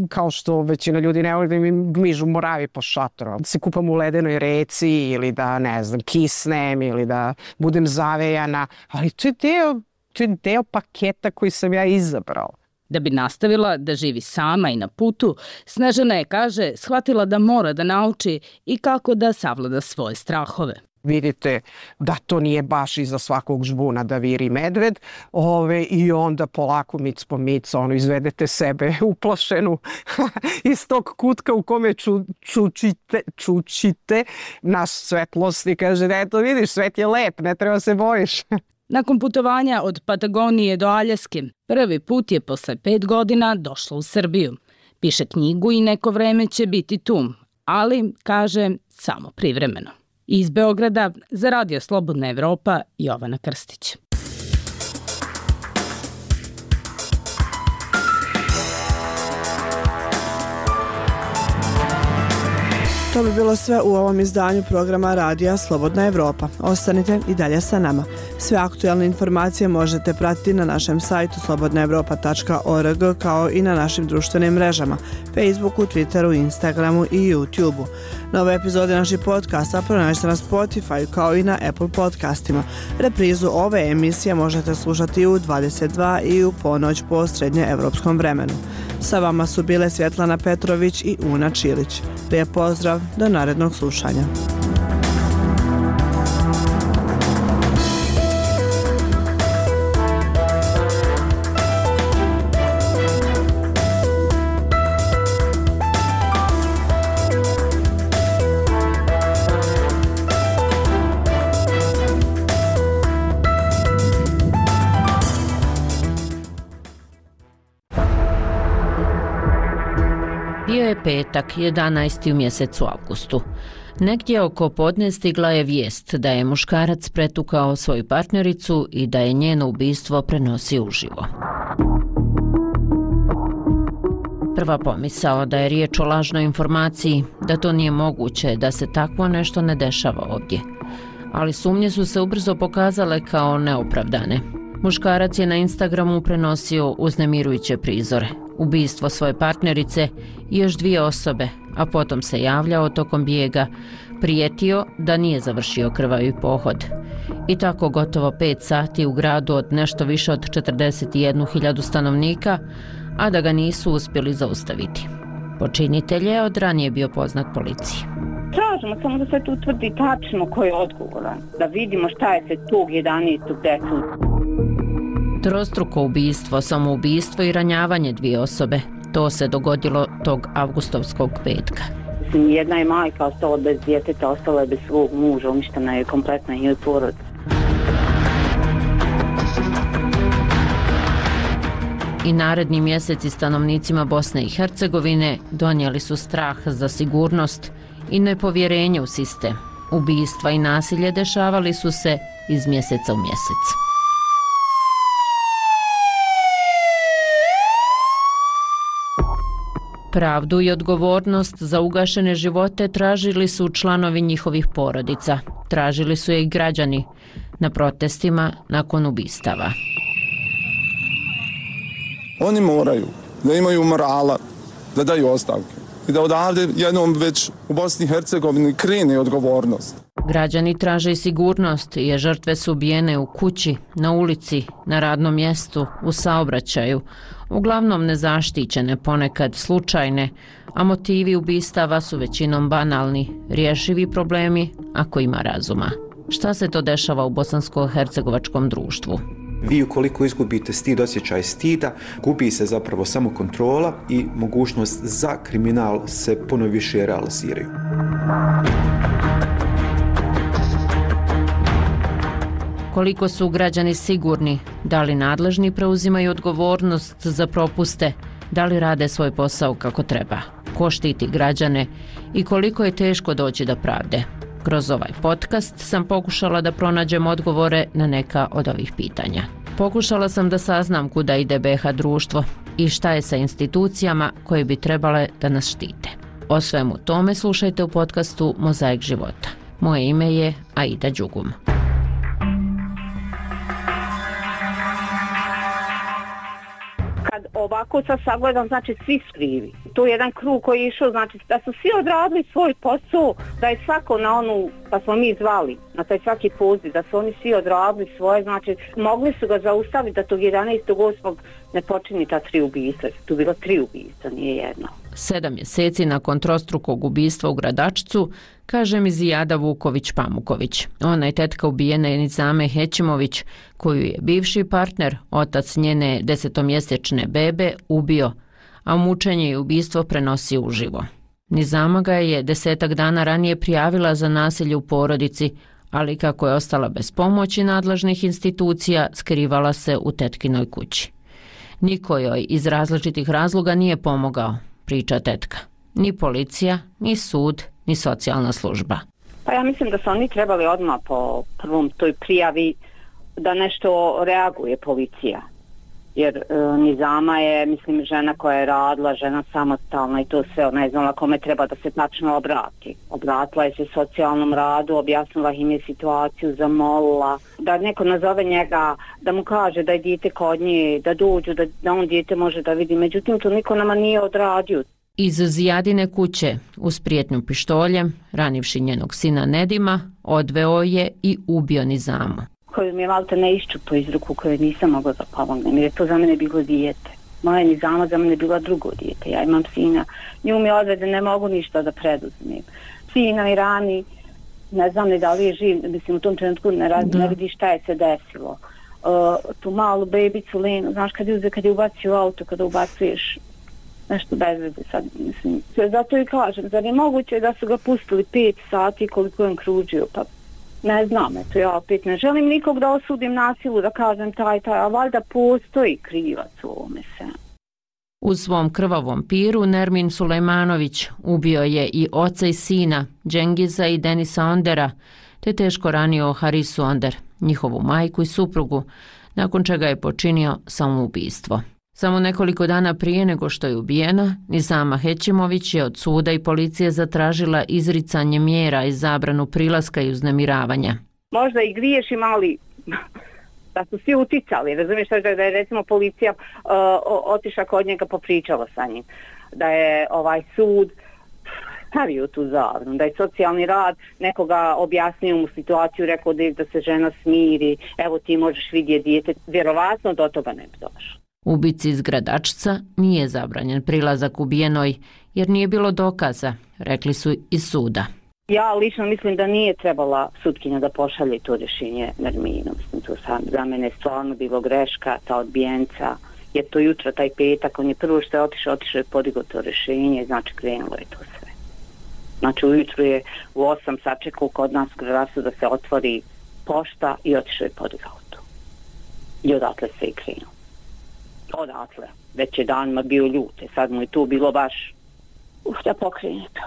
kao što većina ljudi ne voli da mi gmižu moravi po šatoru. Da se kupam u ledenoj reci ili da, ne znam, kisnem ili da budem zavejana. Ali to je deo paketa koji sam ja izabrala. Da bi nastavila da živi sama i na putu, Snežana je, kaže, shvatila da mora da nauči i kako da savlada svoje strahove. Vidite da to nije baš iza svakog žbuna da viri medved i onda polako mic po mic izvedete sebe uplašenu iz tog kutka u kome čučite na svetlost i kaže, eto vidiš, svet je lep, ne treba se bojiš. Nakon putovanja od Patagonije do Aljaske, prvi put je posle 5 godina došla u Srbiju. Piše knjigu i neko vreme će biti tu, ali, kaže, samo privremeno. Iz Beograda za radio Slobodna Evropa, Jovana Krstić. To bi bilo sve u ovom izdanju programa Radija Slobodna Evropa. Ostanite i dalje sa nama. Sve aktualne informacije možete pratiti na našem sajtu slobodnaevropa.org kao i na našim društvenim mrežama Facebooku, Twitteru, Instagramu i YouTubeu. Nove epizode naših podcasta pronađite na Spotify kao i na Apple podcastima. Reprizu ove emisije možete slušati u 22 i u ponoć po srednjeevropskom vremenu. Sa vama su bile Svjetlana Petrović i Una Čilić. Lijep pozdrav, do narednog slušanja. Bio je petak, 11. u mjesecu avgustu. Negdje oko podne stigla je vijest da je muškarac pretukao svoju partnericu i da je njeno ubistvo prenosio uživo. Prva pomisao da je riječ o lažnoj informaciji, da to nije moguće, da se takvo nešto ne dešava ovdje. Ali sumnje su se ubrzo pokazale kao neopravdane. Muškarac je na Instagramu prenosio uznemirujuće prizore, ubistvo svoje partnerice i još 2 osobe, a potom se javljao tokom bijega, prijetio da nije završio krvavi pohod. I tako gotovo 5 sati u gradu od nešto više od 41.000 stanovnika, a da ga nisu uspjeli zaustaviti. Počinitelj je od ranije bio poznat policiji. Tražimo samo da se tu utvrdi tačno ko je odgovoran, da vidimo šta je se tog 11. desilo. Trostruko ubistvo, samoubistvo i ranjavanje 2 osobe. To se dogodilo tog avgustovskog petka. Jedna je majka ostala bez djeteta, ostala je bez svog muža, uništena je kompletna njoj porodica. I naredni mjeseci stanovnicima Bosne i Hercegovine donijeli su strah za sigurnost i nepovjerenje u sistem. Ubistva i nasilje dešavali su se iz mjeseca u mjesec. Pravdu i odgovornost za ugašene živote tražili su članovi njihovih porodica. Tražili su je i građani na protestima nakon ubistava. Oni moraju da imaju morala, da daju ostavke i da odavde jednom već u Bosni i Hercegovini krene odgovornost. Građani traže i sigurnost jer žrtve su ubijene u kući, na ulici, na radnom mjestu, u saobraćaju, uglavnom nezaštićene, ponekad slučajne, a motivi ubistava su većinom banalni, rješivi problemi ako ima razuma. Šta se to dešava u bosansko-hercegovačkom društvu? Vi ukoliko izgubite stid, osjećaj stida, gubi se zapravo samo kontrola i mogućnost za kriminal se puno više realiziraju. Koliko su građani sigurni, da li nadležni preuzimaju odgovornost za propuste, da li rade svoj posao kako treba, ko štiti građane i koliko je teško doći do pravde. Kroz ovaj podcast sam pokušala da pronađem odgovore na neka od ovih pitanja. Pokušala sam da saznam kuda ide BiH društvo i šta je sa institucijama koje bi trebale da nas štite. O svemu tome slušajte u podcastu Mozaik života. Moje ime je Aida Đugum. Ovako sad sagledam, znači svi su krivi. To je jedan krug koji je išao, znači da su svi odradili svoj posao, da je svako na onu, pa smo mi zvali, na taj svaki poziv, da su oni svi odradili svoje, znači mogli su ga zaustaviti da tog 11.8. ne počini ta 3 ubistva. Tu bilo 3 ubistva, nije jedno. 7 mjeseci nakon trostrukog ubistva u Gradačcu, kaže mi Zijada Vuković-Pamuković. Ona je tetka ubijene Nizame Hećimović, koju je bivši partner, otac njene 10-mjesečne bebe, ubio, a mučenje i ubistvo prenosio uživo. Nizama ga je 10 dana ranije prijavila za nasilje u porodici, ali kako je ostala bez pomoći nadležnih institucija, skrivala se u tetkinoj kući. Niko joj iz različitih razloga nije pomogao, priča tetka. Ni policija, ni sud, ni socijalna služba. Pa ja mislim da su oni trebali odmah po prvom toj prijavi da nešto reaguje policija. jer Nizama je, mislim, žena koja je radila, žena samostalna i to sve, ona je znala kome treba da se tačno obrati. Obratila je se socijalnom radu, objasnila im je situaciju, zamolila da neko nazove njega, da mu kaže da je dijete kod nje, da dođu, da on dijete može da vidi. Međutim, to niko nama nije odradio. Iz Zijadine kuće, uz prijetnju pištoljem, ranivši njenog sina Nedima, odveo je i ubio Nizamu. Koju mi je malte ne iščupo iz ruku, koju nisam mogla da pomognem, jer je to za mene bilo dijete. Moja Nizama za mene bila drugo dijete. Ja imam sina, nju mi odvede, ne mogu ništa da preduzmem. Sina mi rani, ne znam ni da li je živ, mislim u tom trenutku ne vidi šta je se desilo. Tu malu bebicu Lenu, znaš kad je ubacio u auto, kada ubacuješ nešto bez veze sad, mislim. Zato i kažem, zar je moguće da su ga pustili 5 sati koliko je on kružio, pa ne znam, eto ja opet ne želim nikog da osudim nasilu, da kažem taj, a valjda postoji krivac u ovome se. U svom krvavom piru Nermin Sulejmanović ubio je i oca i sina, Džengiza i Denisa Ondera, te teško ranio Harisu Onder, njihovu majku i suprugu, nakon čega je počinio samoubistvo. Samo nekoliko dana prije nego što je ubijena, Nizama Hećimović je od suda i policije zatražila izricanje mjera i zabranu prilaska i uznemiravanja. Možda i griješim, ali da su svi uticali. Razumiješ da je recimo policija otišla kod njega, popričala sa njim. Da je ovaj sud stavio tu zabranu, da je socijalni rad nekoga objasnio mu situaciju, rekao da se žena smiri, evo ti možeš vidjeti dijete, vjerovatno do toga ne bi došlo. Ubici iz Gradačca nije zabranjen prilazak ubijenoj jer nije bilo dokaza, rekli su iz suda. Ja lično mislim da nije trebala sutkinja da pošalje to rješenje Nerminu. Mislim, to za mene je stvarno bilo greška, ta odbijenca, jer to jutro, taj petak, on je prvo što je otišao je podigao to rješenje, znači krenulo je to sve. Znači ujutru je u 8 sačekao kod nas u Gradačcu da se otvori pošta i otišao je podigao to. I odatle se i krenulo. Odatle, već je danima bio ljute, sad mu je tu bilo baš da pokrene to.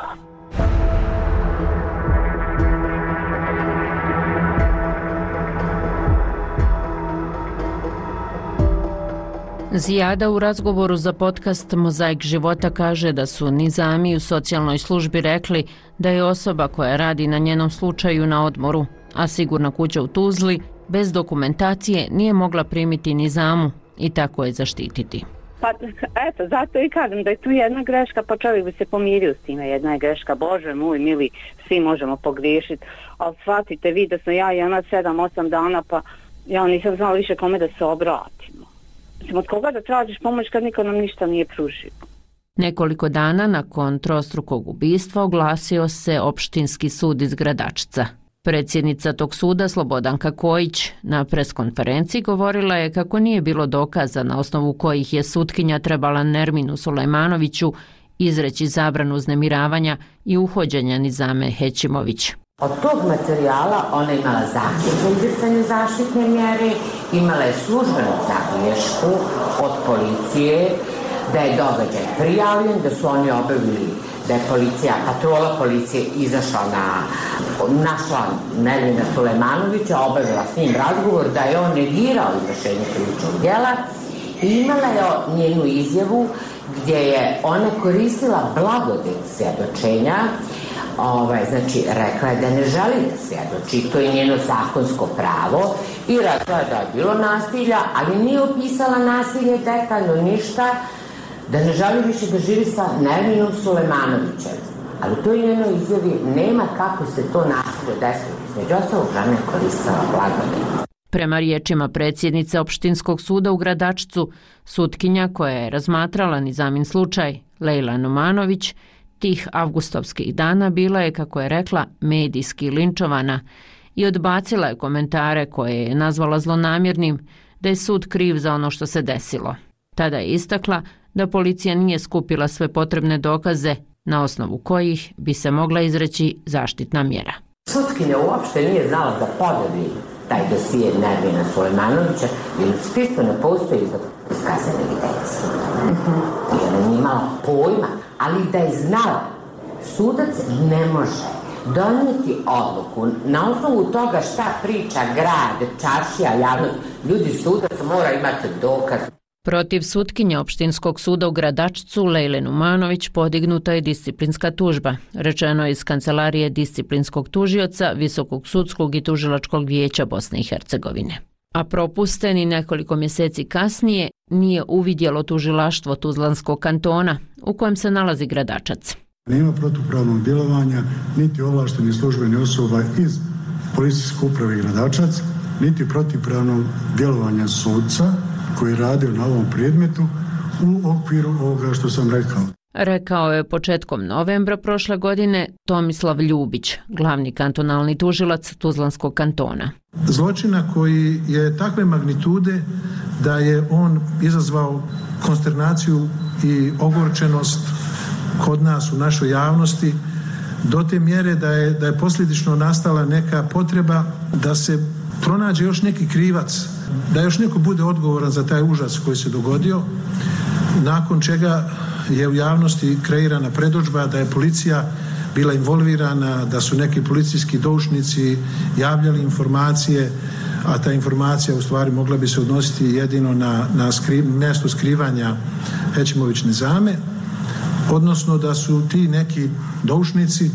Zijada u razgovoru za podcast Mozaik života kaže da su Nizami u socijalnoj službi rekli da je osoba koja radi na njenom slučaju na odmoru, a sigurna kuća u Tuzli bez dokumentacije nije mogla primiti Nizamu i tako je zaštititi. Pa eto, zato i kažem da je tu jedna greška, pa čovjek bi se pomirio s time, jedna je greška, Bože moj mili, svi možemo pogriješiti, ali shvatite vi da sam ja i ona 7-8 dana, pa ja nisam znala više kome da se obratimo. Mislim, od koga da tražiš pomoć kad niko nam ništa nije pružio. Nekoliko dana nakon trostrukog ubistva oglasio se opštinski sud iz Gradačca. Predsjednica tog suda, Slobodanka Kojić, na preskonferenciji govorila je kako nije bilo dokaza na osnovu kojih je sutkinja trebala Nerminu Sulejmanoviću izreći zabranu uznemiravanja i uhođenja Nizame Hećimović. Od tog materijala ona imala zahtjev za izricanje zaštitne mjere, imala je službenu zabilješku od policije da je događaj prijavljen, da su oni obavili, da je patrola policije izašla našla Nermina Sulejmanovića, obavila s njim razgovor da je on negirao izvršenje krivičnog djela i imala je njenu izjavu gdje je ona koristila blagodet svjedočenja, znači rekla je da ne želi da svjedoči, to je njeno zakonsko pravo i rekla je da je bilo nasilja, ali nije opisala nasilje detaljno ništa, da ne želi više da živi sa Nerminom Sulejmanovićem. Ali u toj njenoj izjavi nema kako se to nasilje desilo. Među ostalog žena je koristila blagodet. Prema riječima predsjednice opštinskog suda u Gradačcu, sutkinja koja je razmatrala Nizamin slučaj, Lejla Numanović, tih avgustovskih dana bila je, kako je rekla, medijski linčovana i odbacila je komentare koje je nazvala zlonamjernim da je sud kriv za ono što se desilo. Tada je istakla da policija nije skupila sve potrebne dokaze na osnovu kojih bi se mogla izreći zaštitna mjera. Sutkinja uopšte nije znala da podeli taj dosije Nermina Sulejmanovića jer u spisku ne postoji iz kaznene evidencije. Jer ona nije imala pojma, ali da je znala, sudac ne može donijeti odluku na osnovu toga šta priča grad, čaršija, javnost. Ljudi, sudac mora imati dokaz. Protiv sutkinje opštinskog suda u Gradačcu Lejle Numanović podignuta je disciplinska tužba, rečeno je iz kancelarije disciplinskog tužioca Visokog sudskog i tužilačkog vijeća Bosne i Hercegovine. A propusten i nekoliko mjeseci kasnije nije uvidjelo tužilaštvo Tuzlanskog kantona u kojem se nalazi Gradačac. Nema protupravnog djelovanja niti ovlaštenih službenih osoba iz policijske uprave Gradačac, niti protupravnog djelovanja sudca koji je radio na ovom predmetu u okviru ovoga što sam rekao. Rekao je početkom novembra prošle godine Tomislav Ljubić, glavni kantonalni tužilac Tuzlanskog kantona. Zločina koji je takve magnitude da je on izazvao konsternaciju i ogorčenost kod nas u našoj javnosti do te mjere da je posljedično nastala neka potreba da se pronađe još neki krivac, da još neko bude odgovoran za taj užas koji se dogodio, nakon čega je u javnosti kreirana predodžba da je policija bila involvirana, da su neki policijski doušnici javljali informacije, a ta informacija u stvari mogla bi se odnositi jedino na mjesto skrivanja Hećimović Nizame, odnosno da su ti neki doušnici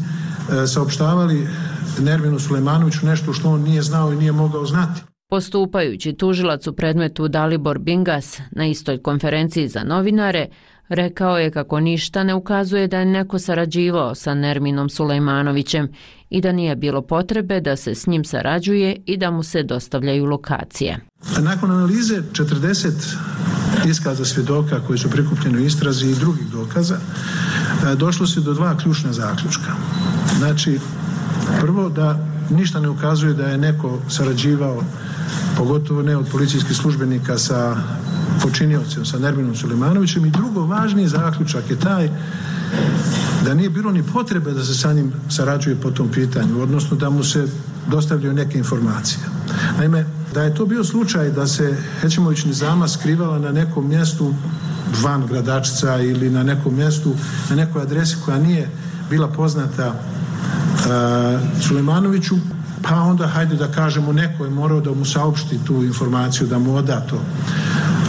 saopštavali Nerminu Sulejmanoviću nešto što on nije znao i nije mogao znati. Postupajući tužilac u predmetu Dalibor Bingas na istoj konferenciji za novinare rekao je kako ništa ne ukazuje da je neko sarađivao sa Nerminom Sulejmanovićem i da nije bilo potrebe da se s njim sarađuje i da mu se dostavljaju lokacije. Nakon analize 40 iskaza svjedoka koji su prikupljeni u istrazi i drugih dokaza, došlo se do dva ključna zaključka. Znači, prvo da ništa ne ukazuje da je neko sarađivao, pogotovo ne od policijskih službenika sa počiniocem, sa Nerminom Sulejmanovićem, i drugo važniji zaključak je taj da nije bilo ni potrebe da se sa njim sarađuje po tom pitanju, odnosno da mu se dostavljaju neke informacije. Naime, da je to bio slučaj da se Hećimović Nizama skrivala na nekom mjestu van Gradačca ili na nekom mjestu, na nekoj adresi koja nije bila poznata Sulejmanoviću, pa onda hajde da kažemo neko je morao da mu saopšti tu informaciju, da mu oda to.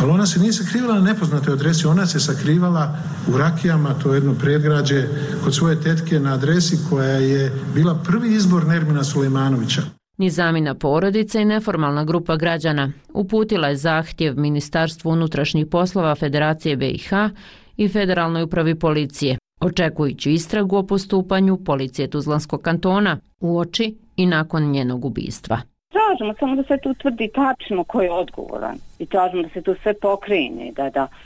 Ali ona se nije sakrivala na nepoznatoj adresi, ona se sakrivala u Rakijama, to je jedno predgrađe, kod svoje tetke na adresi koja je bila prvi izbor Nermina Sulejmanovića. Nizamina porodica i neformalna grupa građana uputila je zahtjev Ministarstvu unutrašnjih poslova Federacije BiH i Federalnoj upravi policije, očekujući istragu o postupanju policije Tuzlanskog kantona uoči i nakon njenog ubistva. Tražimo samo da se tu utvrdi tačno ko je odgovoran i tražimo da se tu sve pokrene,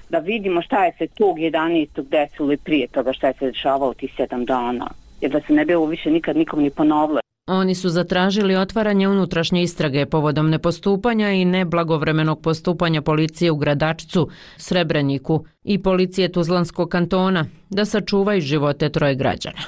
da vidimo šta je se tog 11. desilo i prije toga šta je se dešavalo tih 7 dana, jer da se ne bi ovo više nikad nikom ni ponovilo. Oni su zatražili otvaranje unutrašnje istrage povodom nepostupanja i neblagovremenog postupanja policije u Gradačcu, Srebreniku i policije Tuzlanskog kantona da sačuvaju živote 3 građana.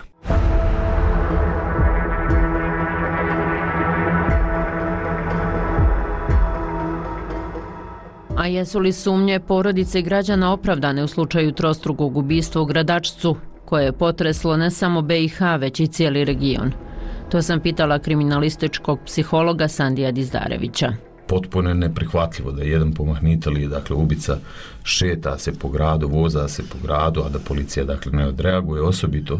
A jesu li sumnje porodice i građana opravdane u slučaju trostrukog ubistva u Gradačcu, koje je potreslo ne samo BiH, već i cijeli region? To sam pitala kriminalističkog psihologa Sandija Dizdarevića. Potpuno je neprihvatljivo da jedan pomahnitelj, dakle ubica, šeta se po gradu, voza se po gradu, a da policija dakle ne odreaguje, osobito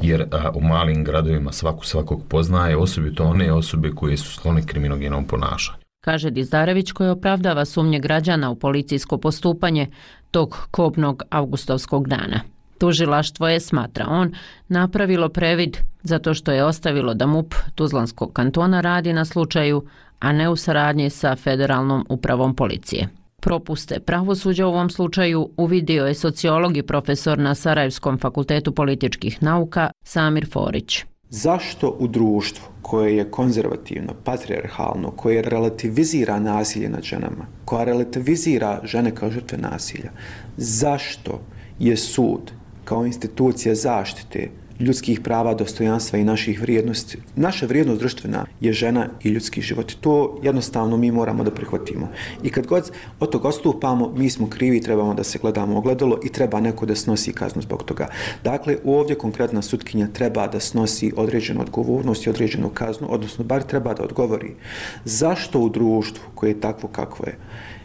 jer u malim gradovima svakog poznaje, osobito one osobe koje su sklone kriminogenom ponašanju. Kaže Dizdarević, koji opravdava sumnje građana u policijsko postupanje tog kobnog avgustovskog dana. Tužilaštvo je, smatra on, napravilo previd zato što je ostavilo da MUP Tuzlanskog kantona radi na slučaju, a ne u saradnji sa Federalnom upravom policije. Propuste pravosuđa u ovom slučaju uvidio je sociolog i profesor na Sarajevskom fakultetu političkih nauka Samir Forić. Zašto u društvu koje je konzervativno, patrijarhalno, koje relativizira nasilje nad ženama, koja relativizira žene kao žrtve nasilja, zašto je sud kao institucija zaštite ljudskih prava, dostojanstva i naših vrijednosti, naša vrijednost društvena je žena i ljudski život. To jednostavno mi moramo da prihvatimo. I kad god od toga odstupamo, mi smo krivi, trebamo da se gledamo ogledalo i treba neko da snosi kaznu zbog toga. Dakle, ovdje konkretna sutkinja treba da snosi određenu odgovornost i određenu kaznu, odnosno bar treba da odgovori zašto u društvu koje je takvo kakvo je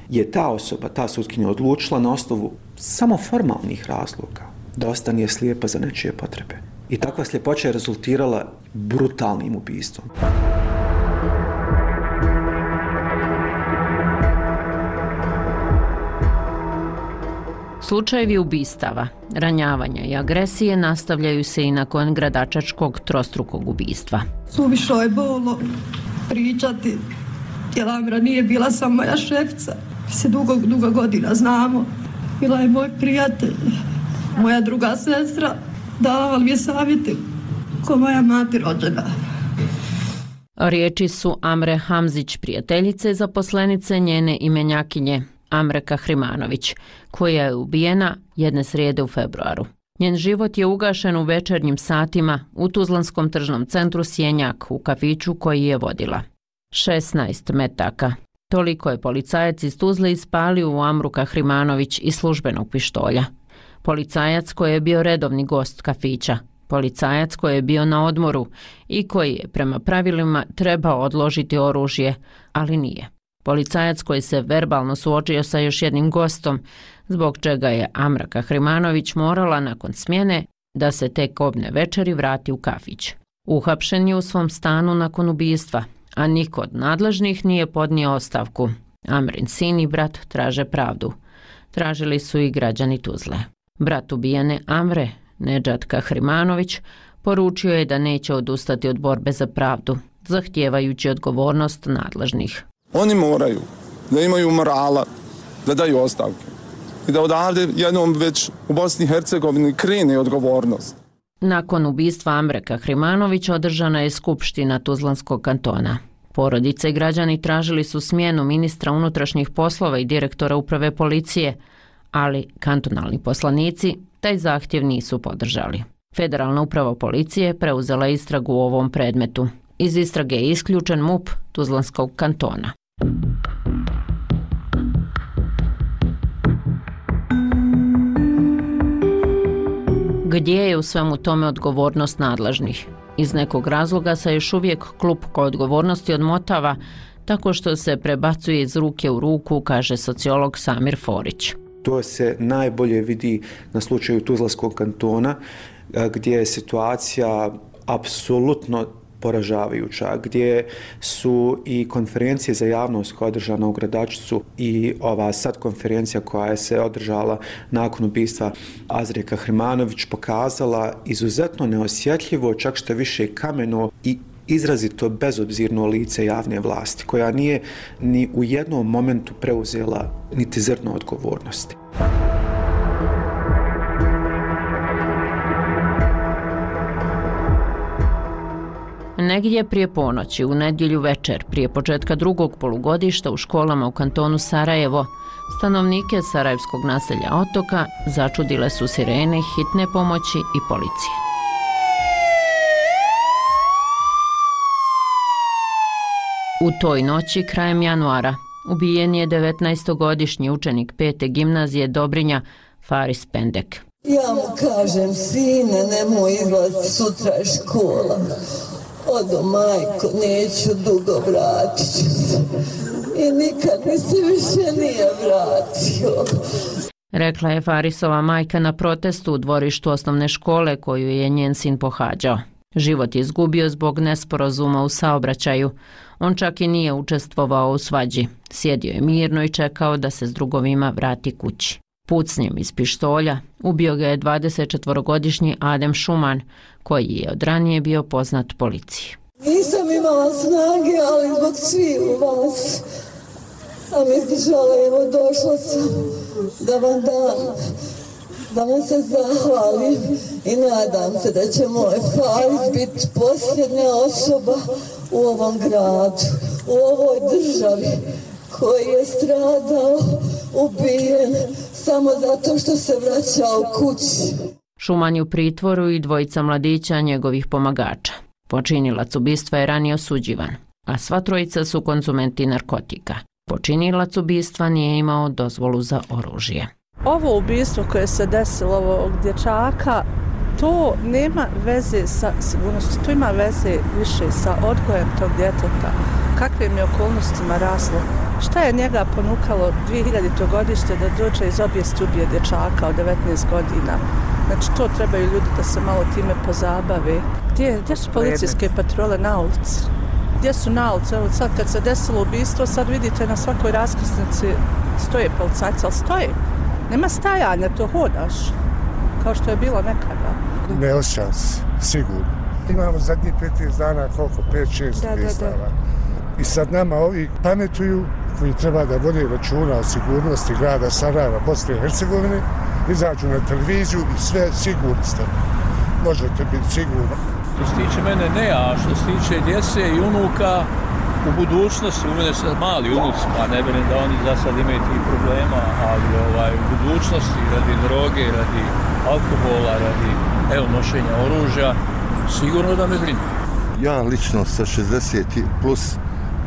je ta osoba, ta sutkinja odlučila na osnovu samo formalnih razloga da ostane slijepa za nečije potrebe. I takva sljepoća je rezultirala brutalnim ubistvom. Slučajevi ubistava, ranjavanja i agresije nastavljaju se i nakon gradačačkog trostrukog ubistva. Suvišno je bolno pričati, jer Amra nije bila samo moja šefica. Mi se dugo godina znamo. Bila je moj prijatelj, moja druga sestra, davala mi je savjeti ko moja mati rođena. Riječi su Amre Hamzić, prijateljice zaposlenice njene imenjakinje Amre Kahrimanović, koja je ubijena jedne srijede u februaru. Njen život je ugašen u večernjim satima u Tuzlanskom tržnom centru Sjenjak u kafiću koji je vodila. 16 metaka. Toliko je policajac iz Tuzle ispalio u Amru Kahrimanović iz službenog pištolja. Policajac koji je bio redovni gost kafića. Policajac koji je bio na odmoru i koji je prema pravilima trebao odložiti oružje, ali nije. Policajac koji se verbalno suočio sa još jednim gostom, zbog čega je Amra Kahrimanović morala nakon smjene da se tek kobne večeri vrati u kafić. Uhapšen je u svom stanu nakon ubistva, a niko od nadležnih nije podnio ostavku. Amrin sin i brat traže pravdu. Tražili su i građani Tuzle. Brat ubijene Amre, Nedžad Kahrimanović, poručio je da neće odustati od borbe za pravdu, zahtijevajući odgovornost nadležnih. Oni moraju da imaju morala, da daju ostavke i da odavde jednom već u Bosni i Hercegovini krene odgovornost. Nakon ubistva Amre Kahrimanović održana je skupština Tuzlanskog kantona. Porodice i građani tražili su smjenu ministra unutrašnjih poslova i direktora uprave policije, ali kantonalni poslanici taj zahtjev nisu podržali. Federalna uprava policije preuzela istragu u ovom predmetu. Iz istrage je isključen MUP Tuzlanskog kantona. Gdje je u svemu tome odgovornost nadležnih? Iz nekog razloga se još uvijek klupko odgovornosti odmotava tako što se prebacuje iz ruke u ruku, kaže sociolog Samir Forić. To se najbolje vidi na slučaju Tuzlanskog kantona, gdje je situacija apsolutno poražavajuća, gdje su i konferencije za javnost koja je održana u Gradačcu i ova sad konferencija koja je se održala nakon ubistva Azre Kahrimanović pokazala izuzetno neosjetljivo, čak što više kameno i izrazito bezobzirno lice javne vlasti, koja nije ni u jednom momentu preuzela niti zrno odgovornosti. Negdje prije ponoći, u nedjelju večer, prije početka drugog polugodišta u školama u kantonu Sarajevo, stanovnike sarajevskog naselja Otoka začudile su sirene hitne pomoći i policije. U toj noći, krajem januara, ubijen je 19-godišnji učenik 5. gimnazije Dobrinja, Faris Pendek. Ja mu kažem, sine, nemoj izlaziti sutra iz škola. Odo, majko, neću dugo, vratit ću se. I nikad mi se više nije vratio. Rekla je Farisova majka na protestu u dvorištu osnovne škole koju je njen sin pohađao. Život je izgubio zbog nesporazuma u saobraćaju. On čak i nije učestvovao u svađi. Sjedio je mirno i čekao da se s drugovima vrati kući. Pucnjem iz pištolja ubio ga je 24-godišnji Adem Šuman, koji je od ranije bio poznat policiji. Nisam imala snage, ali zbog svih vas sam izdržala, evo došla sam da vam dam, da vam se zahvalim i nadam se da će moj Faris biti posljednja osoba u ovom gradu, u ovoj državi koji je stradao, ubijen samo zato što se vraćao kući. Šuman je u pritvoru i dvojica mladića njegovih pomagača. Počinilac ubistva je ranije osuđivan, a sva trojica su konzumenti narkotika. Počinilac ubistva nije imao dozvolu za oružje. Ovo ubistvo koje se desilo ovog dječaka, to nema veze sa sigurnosti, to ima veze više sa odgojem tog djeteta, kakvim je okolnostima raslo. Šta je njega ponukalo 2000. godište da dođe iz obijesti ubije dječaka od 19 godina? Znači, to trebaju ljudi da se malo time pozabave. Gdje su policijske patrole na ulici? Gdje su na ulici? Evo sad kad se desilo ubistvo, sad vidite na svakoj raskrsnici stoje policajci, ali stoje. Nema stajanja, to hodaš, kao što je bilo nekada. Ne osjećam se, sigurno. Imamo zadnjih 15 dana koliko, 5-6 ubistava. I sad nama ovi pametuju koji treba da vode računa o sigurnosti grada Sarajeva, Bosne i Hercegovine, izađu na televiziju i sve sigurni ste. Možete biti sigurni. Što se tiče mene ne, a što se tiče djece i unuka, u budućnosti, u mene sad mali unuci, pa ne vjerujem da oni za sad imaju tih problema, ali u budućnosti, radi droge, radi alkohola, radi nošenja oružja, sigurno da me brine. Ja lično sa 60 plus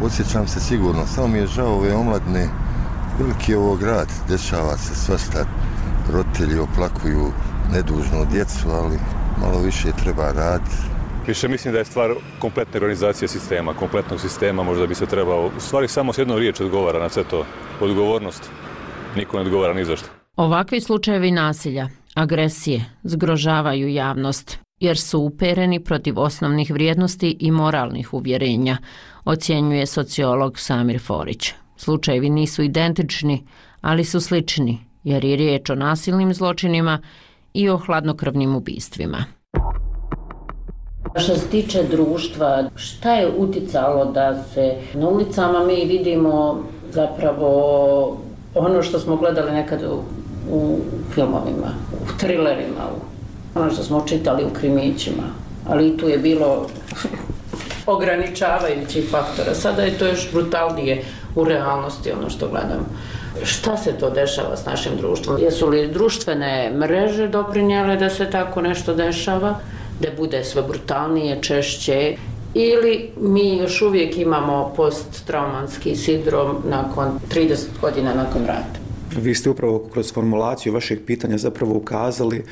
osjećam se sigurno, samo mi je žao ove omladne, veliki je ovo grad, dešava se svašta, roditelji oplakuju nedužnu djecu, ali malo više treba raditi. Više mislim da je stvar kompletne organizacije sistema, kompletnog sistema, možda bi se trebao, u stvari samo s jednom riječi odgovara na sve to, odgovornost, niko ne odgovara ni zašto. Ovakvi slučajevi nasilja, agresije, zgrožavaju javnost, jer su upereni protiv osnovnih vrijednosti i moralnih uvjerenja, ocjenjuje sociolog Samir Forić. Slučajevi nisu identični, ali su slični, jer je riječ o nasilnim zločinima i o hladnokrvnim ubistvima. Što se tiče društva, šta je uticalo da se na ulicama mi vidimo zapravo ono što smo gledali nekad u filmovima, u trilerima, ono što smo čitali u krimićima, ali i tu je bilo ograničavajućih faktora. Sada je to još brutalnije u realnosti ono što gledam. Šta se to dešava s našim društvom? Jesu li društvene mreže doprinijele da se tako nešto dešava, da bude sve brutalnije, češće, ili mi još uvijek imamo posttraumatski sindrom nakon 30 godina nakon rata? Vi ste upravo kroz formulaciju vašeg pitanja zapravo ukazali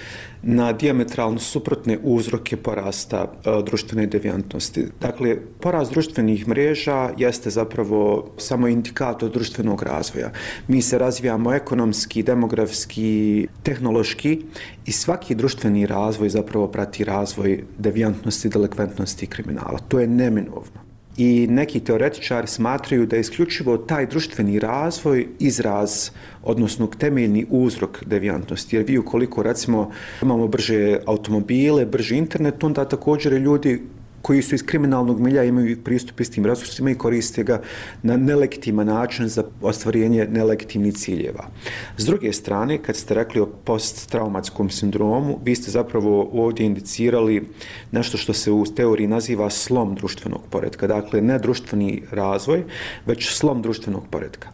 na dijametralno suprotne uzroke porasta društvene devijantnosti. Dakle, porast društvenih mreža jeste zapravo samo indikator društvenog razvoja. Mi se razvijamo ekonomski, demografski, tehnološki i svaki društveni razvoj zapravo prati razvoj devijantnosti, delikventnosti i kriminala. To je neminovno. I neki teoretičari smatraju da je isključivo taj društveni razvoj izraz, odnosno temeljni uzrok devijantnosti. Jer vi ukoliko recimo imamo brže automobile, brži internet, onda također ljudi koji su iz kriminalnog milja imaju pristup istim resursima i koriste ga na nelegitiman način za ostvarenje nelegitimnih ciljeva. S druge strane, kad ste rekli o posttraumatskom sindromu, vi ste zapravo ovdje indicirali nešto što se u teoriji naziva slom društvenog poretka. Dakle, ne društveni razvoj, već slom društvenog poretka.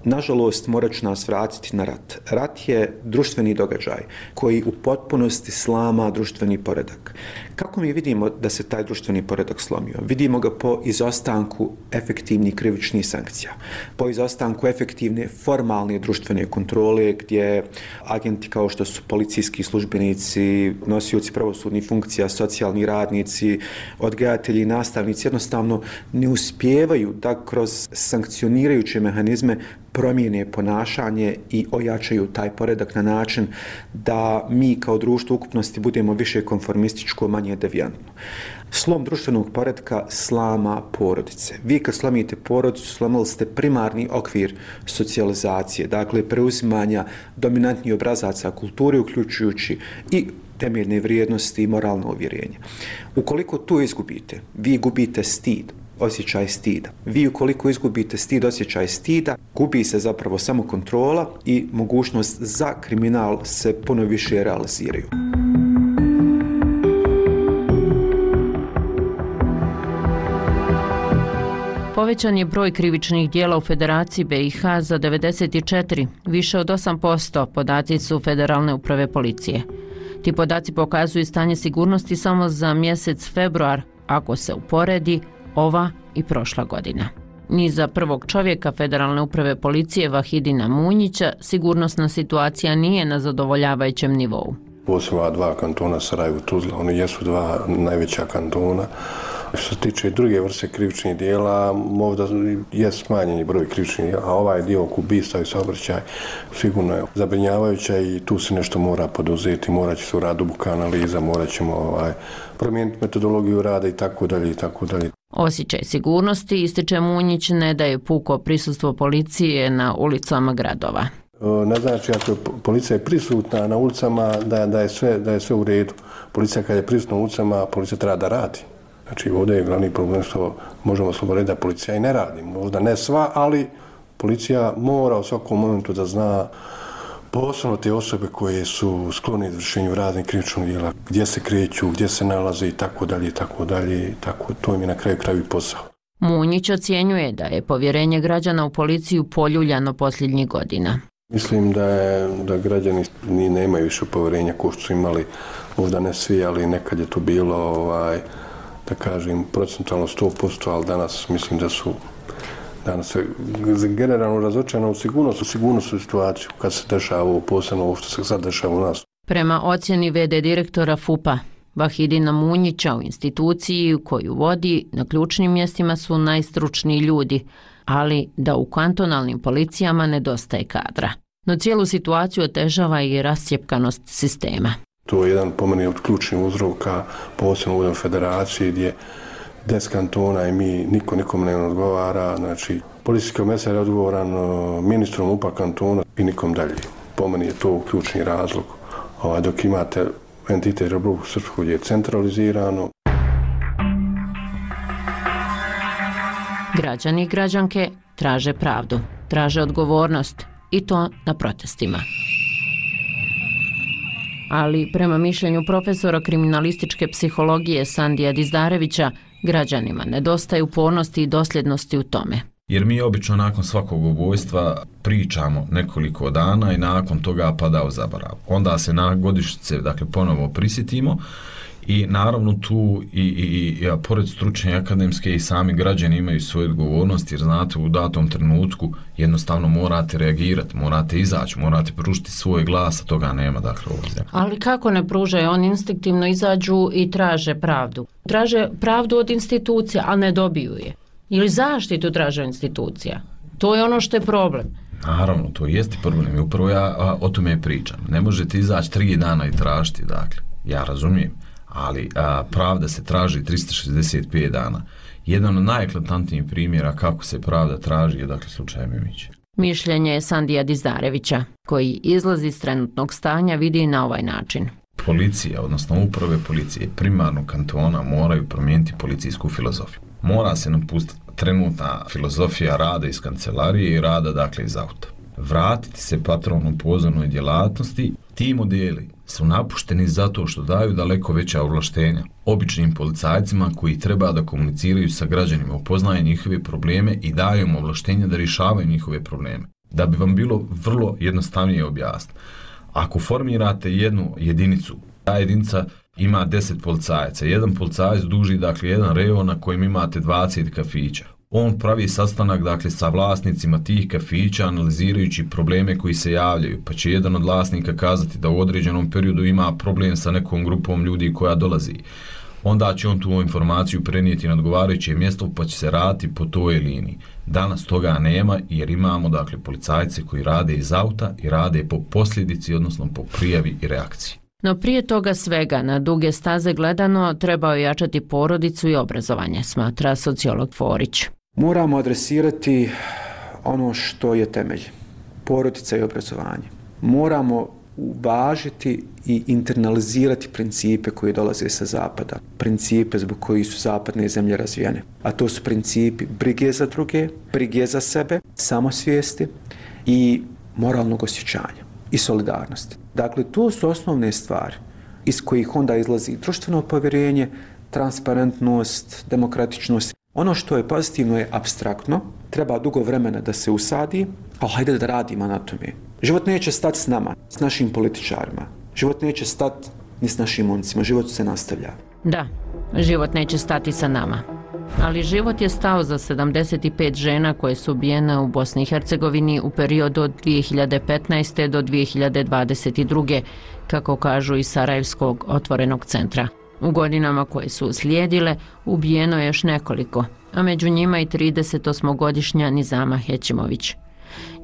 Nažalost, morat ću nas vratiti na rat. Rat je društveni događaj koji u potpunosti slama društveni poredak. Kako mi vidimo da se taj društveni poredak slomio? Vidimo ga po izostanku efektivnih krivičnih sankcija, po izostanku efektivne formalne društvene kontrole gdje agenti kao što su policijski službenici, nosioci pravosudnih funkcija, socijalni radnici, odgajatelji i nastavnici jednostavno ne uspijevaju da kroz sankcionirajuće mehanizme promijene ponašanje i ojačaju taj poredak na način da mi kao društvo ukupnosti budemo više konformističko, manje devijantno. Slom društvenog poretka slama porodice. Vi kad slomite porodicu, slomili ste primarni okvir socijalizacije, dakle preuzimanja dominantnih obrazaca kulture, uključujući i temeljne vrijednosti i moralno uvjerenje. Ukoliko to izgubite, vi gubite stid, osjećaj stida. Vi ukoliko izgubite stid, osjećaj stida, gubi se zapravo samo kontrola i mogućnost za kriminal se puno više realiziraju. Povećan je broj krivičnih dijela u Federaciji BiH za 94, više od 8%, podaci su Federalne uprave policije. Ti podaci pokazuju stanje sigurnosti samo za mjesec februar, ako se uporedi ova i prošla godina. Ni za prvog čovjeka Federalne uprave policije Vahidina Munjića sigurnosna situacija nije na zadovoljavajućem nivou. Posebno dva kantona Sarajevo i Tuzla, oni jesu dva najveća kantona, Što se tiče druge vrste krivičnih dijela, možda je smanjeni broj krivičnih dijela, a ovaj dio oko ubistva i saobraćaj sigurno je zabrinjavajuća i tu se nešto mora poduzeti, morat će se uraditi duboka analiza, morat ćemo promijeniti metodologiju rada i tako dalje i tako dalje. Osjećaj sigurnosti, ističe Munjić, ne daje puko prisustvo policije na ulicama gradova. Ne znači ako je policija je prisutna na ulicama da je sve u redu. Policija kad je prisutna na ulicama, policija treba da radi. Znači ovdje je glavni problem što možemo slobodno reći da policija i ne radi. Možda ne sva, ali policija mora u svakom momentu da zna posebno te osobe koje su sklone izvršenju raznih krivičnih djela, gdje se kreću, gdje se nalaze i tako dalje i tako dalje. Tako to im je na kraju i posao. Munjić ocjenjuje da je povjerenje građana u policiju poljuljano posljednjih godina. Mislim da građani nemaju više povjerenja kao što su imali, možda ne svi, ali nekad je to bilo, da kažem, procentualno 100%, ali danas mislim da su danas generalno razočarani u sigurnosnu situaciju kad se dešava ovo, posebno ovo što se sad dešava u nas. Prema ocjeni VD direktora FUP-a, Vahidina Munjića, u instituciji koju vodi, na ključnim mjestima su najstručniji ljudi, ali da u kantonalnim policijama nedostaje kadra. No cijelu situaciju otežava i rascjepkanost sistema. To je jedan po meni od ključnih uzroka, posebno u federaciji gdje 10 kantona i niko nikome ne odgovara. Znači, policijski komesar je odgovoran ministrom UPA kantona i nikom dalje. Po meni je to ključni razlog. Dok imate entitet Republiku Srpsku gdje je centralizirano. Građani i građanke traže pravdu, traže odgovornost i to na protestima. Ali prema mišljenju profesora kriminalističke psihologije Sandija Dizdarevića, građanima nedostaje upornosti i dosljednosti u tome. Jer mi obično nakon svakog ubojstva pričamo nekoliko dana i nakon toga pada u zaborav. Onda se na godišnjice ponovo prisjetimo i naravno tu i pored stručne akademske i sami građani imaju svoju odgovornost, jer znate u datom trenutku jednostavno morate reagirati, morate izaći, morate pružiti svoj glas, a toga nema ovdje. Ali kako ne pružaju? Oni instinktivno izađu i traže pravdu. Traže pravdu od institucija, a ne dobiju je. Ili zaštitu traže institucija. To je ono što je problem. Naravno, to jeste problem i upravo ja o tome pričam. Ne možete izaći 3 dana i tražiti, ja razumijem, ali pravda se traži 365 dana. Jedan od najeklatantnijih primjera kako se pravda traži je slučaj Mimić. Mišljenje je Sandija Dizdarevića, koji izlazi iz trenutnog stanja vidi na ovaj način. Policija, odnosno uprave policije primarnog kantona moraju promijeniti policijsku filozofiju. Mora se napustiti trenutna filozofija rada iz kancelarije i rada iz auta. Vratiti se patronom pozornoj djelatnosti. Ti modeli su napušteni zato što daju daleko veća ovlaštenja običnim policajcima koji treba da komuniciraju sa građanima, upoznaju njihove probleme i daju im ovlaštenja da rješavaju njihove probleme. Da bi vam bilo vrlo jednostavnije objasniti, ako formirate jednu jedinicu, ta jedinica ima 10 policajaca, jedan policajac duži jedan rejon na kojem imate 20 kafića. On pravi sastanak sa vlasnicima tih kafića analizirajući probleme koji se javljaju, pa će jedan od vlasnika kazati da u određenom periodu ima problem sa nekom grupom ljudi koja dolazi. Onda će on tu informaciju prenijeti na odgovarajuće mjesto pa će se raditi po toj liniji. Danas toga nema jer imamo policajce koji rade iz auta i rade po posljedici, odnosno po prijavi i reakciji. No prije toga svega, na duge staze gledano, trebao je jačati porodicu i obrazovanje, smatra sociolog Forić. Moramo adresirati ono što je temelj, porodica i obrazovanje. Moramo uvažiti i internalizirati principe koji dolaze sa zapada, principe zbog kojih su zapadne zemlje razvijene. A to su principi brige za druge, brige za sebe, samosvijesti i moralnog osjećanja i solidarnosti. Dakle, to su osnovne stvari iz kojih onda izlazi društveno povjerenje, transparentnost, demokratičnost. Ono što je pozitivno je apstraktno, treba dugo vremena da se usadi, ali hajde da radimo na tome. Život neće stati s nama, s našim političarima. Život neće stati ni s našim momcima, život se nastavlja. Da, život neće stati sa nama. Ali život je stao za 75 žena koje su ubijene u Bosni i Hercegovini u periodu od 2015. do 2022. kako kažu iz Sarajevskog otvorenog centra. U godinama koje su uslijedile ubijeno je još nekoliko, a među njima i 38-godišnja Nizama Hećimović.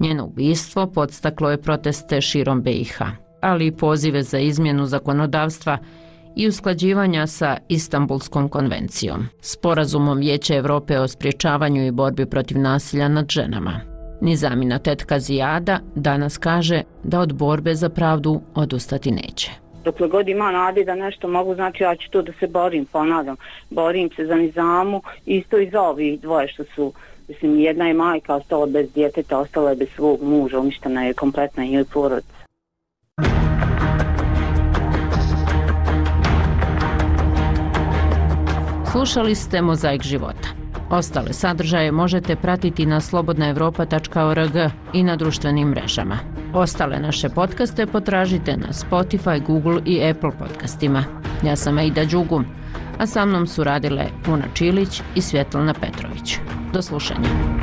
Njeno ubistvo podstaklo je proteste širom BiH, ali i pozive za izmjenu zakonodavstva i usklađivanja sa Istanbulskom konvencijom, sporazumom Vijeća Evrope o sprječavanju i borbi protiv nasilja nad ženama. Nizamina tetka Zijada danas kaže da od borbe za pravdu odustati neće. Dokle god ima nade da nešto mogu, znači ja ću to da se borim, ponavljam. Borim se za Nizamu, isto i za ovih dvoje što su, mislim, jedna je majka, ostala bez djeteta, ostala je bez svog muža, uništena je kompletna njoj porodica. Slušali ste Mozaik života. Ostale sadržaje možete pratiti na slobodnaevropa.org i na društvenim mrežama. Ostale naše podcaste potražite na Spotify, Google i Apple podcastima. Ja sam Aida Đugum, a sa mnom su radile Puna Čilić i Svjetlana Petrović. Do slušanja.